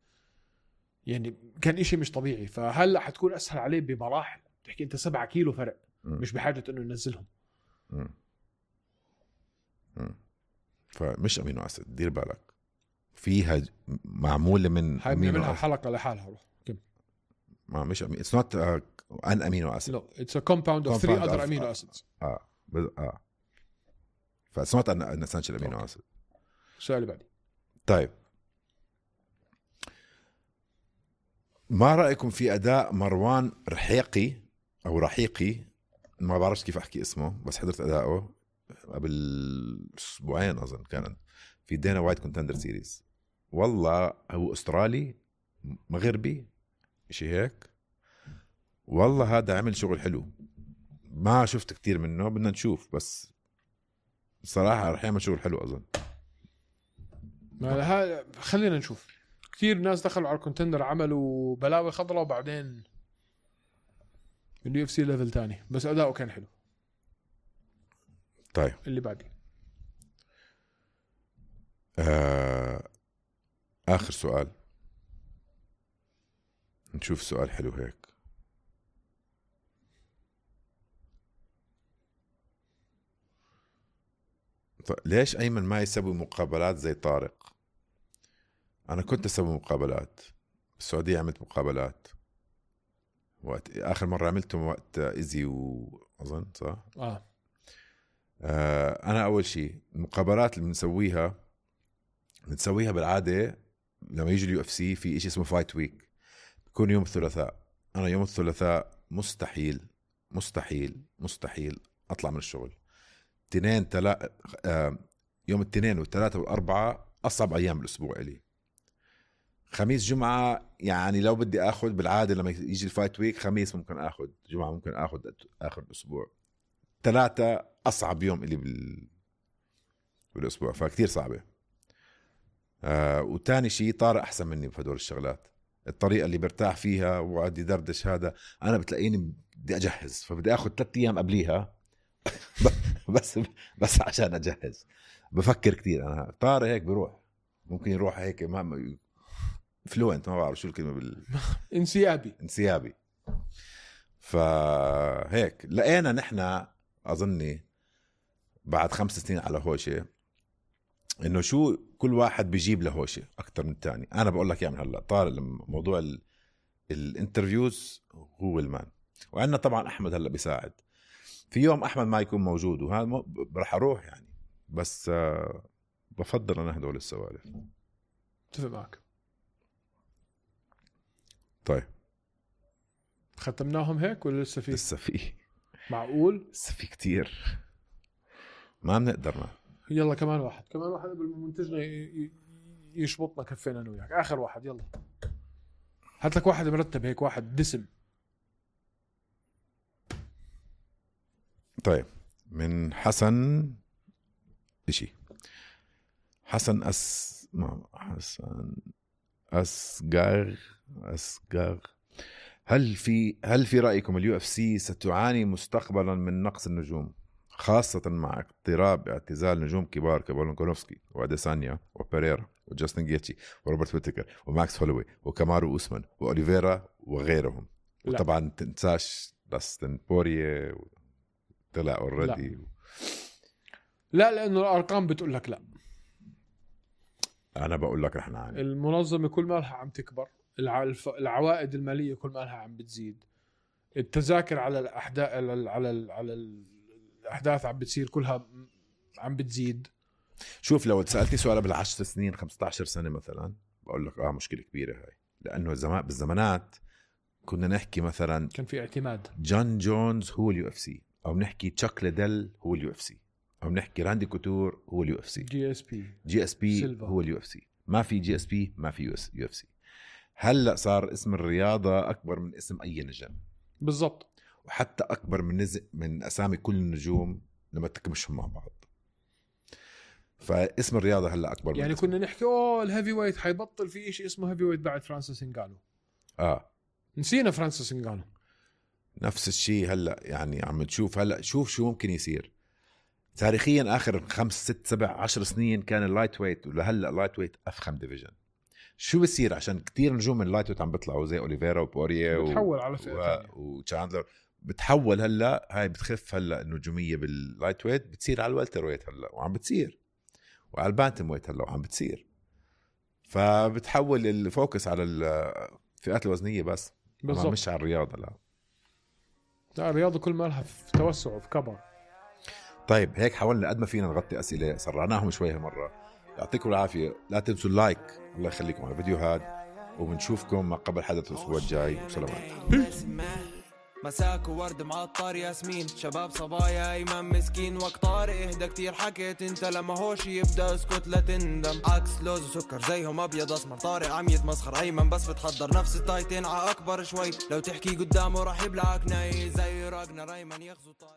يعني كان إشي مش طبيعي، فهلا حتكون اسهل عليه بمراحل. تحكي انت 7 كيلو فرق، مش بحاجه انه ينزلهم. فمش امينو اسيد، دير بالك فيها معموله من امينو اسيد. حلقه لحالها روح كم. ما مش اتس نوت ان امينو اسيد، نو اتس ا كومباوند اوف 3 other امينو اسيدز. فاتس نوت ان اسينشال امينو اسيد. السؤال اللي بعدي. طيب ما رايكم في اداء مروان رحيقي او رحيقي، ما بعرفش كيف احكي اسمه، بس حضرت اداؤه قبل اسبوعين اظن كان في دينا وايت كونتندر سيريز. والله هو استرالي مغربي شيء هيك، والله هذا عمل شغل حلو. ما شفت كتير منه، بدنا نشوف، بس صراحه رح يعمل شغل حلو اظن. خلينا نشوف. كتير ناس دخلوا على الكونتندر عملوا بلاوي خضراء وبعدين اليو اف سي ليفل تاني، بس اداؤه كان حلو. طيب اللي بعدي آخر سؤال، نشوف سؤال حلو هيك. طيب ليش أيمن ما يسوي مقابلات زي طارق؟ أنا كنت أسوي مقابلات بالسعودية، عملت مقابلات وقت آخر مرة عملتهم وقت إيزي وأظن صح؟ أنا أول شيء المقابلات اللي بنسويها بالعادة لما يجي اليو اف سي في إشي اسمه فايت ويك، بيكون يوم الثلاثاء. أنا يوم الثلاثاء مستحيل أطلع من الشغل. يوم الاثنين والثلاثة والأربعة أصعب أيام الأسبوع إلي. خميس جمعة يعني لو بدي أخذ بالعادة لما يجي الفايت ويك، خميس ممكن أخذ، جمعة ممكن أخذ آخر الأسبوع. 3 أصعب يوم إلي بالأسبوع، فكتير صعبة. وتاني شيء طارق أحسن مني بهدول الشغلات، الطريقة اللي برتاح فيها وعادي دردش. هذا أنا بتلاقيني بدي أجهز، فبدي أخذ 3 أيام قبليها بس عشان أجهز. بفكر كتير أنا. طارق هيك بروح، ممكن يروح هيك ما فلوينت، ما بعرف شو الكلمة انسيابي. فهيك لقينا نحنا أظني بعد 5 سنين على هوشة إنه شو كل واحد بيجيب له هوشة أكتر من الثاني. أنا بقول لك يعني هلا طارق موضوع الانترفيوز هو المان، وعندنا طبعا أحمد هلا بيساعد. في يوم أحمد ما يكون موجود وهذا رح أروح يعني، بس بفضل أنا هدول السوالف. اتفق معك. طيب ختمناهم هيك ولا لسه في؟ معقول لسه في كتير، ما بنقدرنا. يلا كمان واحد قبل ما منتجنا يشبطنا كفينا انا وياك. اخر واحد، يلا هات لك واحد مرتب هيك، واحد دسم. طيب من حسن أسقر. هل في رأيكم اليو اف سي ستعاني مستقبلا من نقص النجوم، خاصة مع اقتراب اعتزال نجوم كبار كفولكانوفسكي واديسانيا وبيريرا وجاستن جيتشي وروبرت ويتكر وماكس هولوي وكامارو أوسمان وأوليفيرا وغيرهم؟ وطبعا تنساش داستن بوريه طلع اوريدي. لا لأنه الأرقام بتقول لك لا. أنا بقول لك رح نعاني. المنظمة كل ما لها عم تكبر، العوائد المالية كل ما لها عم بتزيد، التذاكر على الأحداث عم بتصير كلها عم بتزيد. شوف لو سألتني سؤال قبل 10 سنين 15 سنة مثلا بقول لك مشكلة كبيرة هاي، لأنه بالزمانات كنا نحكي مثلا كان في اعتماد جون جونز هو اليو اف سي، أو نحكي تشاك ليدل هو اليو اف سي. عم نحكي راندي كوتور هو اليو اف سي. جي اس بي هو اليو اف سي. ما في جي اس بي ما في يو اف سي. هلا صار اسم الرياضه اكبر من اسم اي نجم بالضبط، وحتى اكبر من اسامي كل النجوم لما تكمشهم مع بعض. فاسم الرياضه هلا اكبر يعني من كنا نحكي الهيفي ويت حيبطل في شيء اسمه هيفي ويت بعد فرانسيس انغانو. نسينا فرانسيس انغانو. نفس الشيء هلا يعني عم تشوف هلا شوف شو ممكن يصير تاريخيا. اخر 5 6 7 10 سنين كان اللايت ويت، ولهلا اللايت ويت افخم ديفيجن. شو بصير عشان كتير نجوم من اللايت ويت عم بيطلعوا زي اوليفيرا وبوريه بتحول على فئه وتشاندلر بتحول. هلا هاي بتخف هلا النجوميه باللايت ويت بتصير على الوالتر ويت هلا وعم بتصير، وعلى البانتم ويت هلا وعم بتصير. فبتحول الفوكس على الفئات الوزنيه بس بالضبط، مش على الرياضه. لا الرياضه كل ما لها في توسع وفي كبر. طيب هيك حاولنا قد ما فينا نغطي اسئله، سرعناهم شوي هالمره. يعطيكم العافيه، لا تنسوا اللايك، الله يخليكم على الفيديو هذا، وبنشوفكم ما قبل حدث الاسبوع الجاي. وسلامات. مساك وورد معطر ياسمين، شباب صبايا ايمن مسكين، وقت طارق اهدى كتير حكيت انت، لما هوش يبدا اسكت لا تندم. عكس لوز وسكر زيهم ابيض اسمر، طارق عم يتمسخر ايمن بس بتحضر نفس التايتين ع اكبر شوي، لو تحكي قدامه راح يبلعك ناي زي راجنا ايمن يغزو طارق.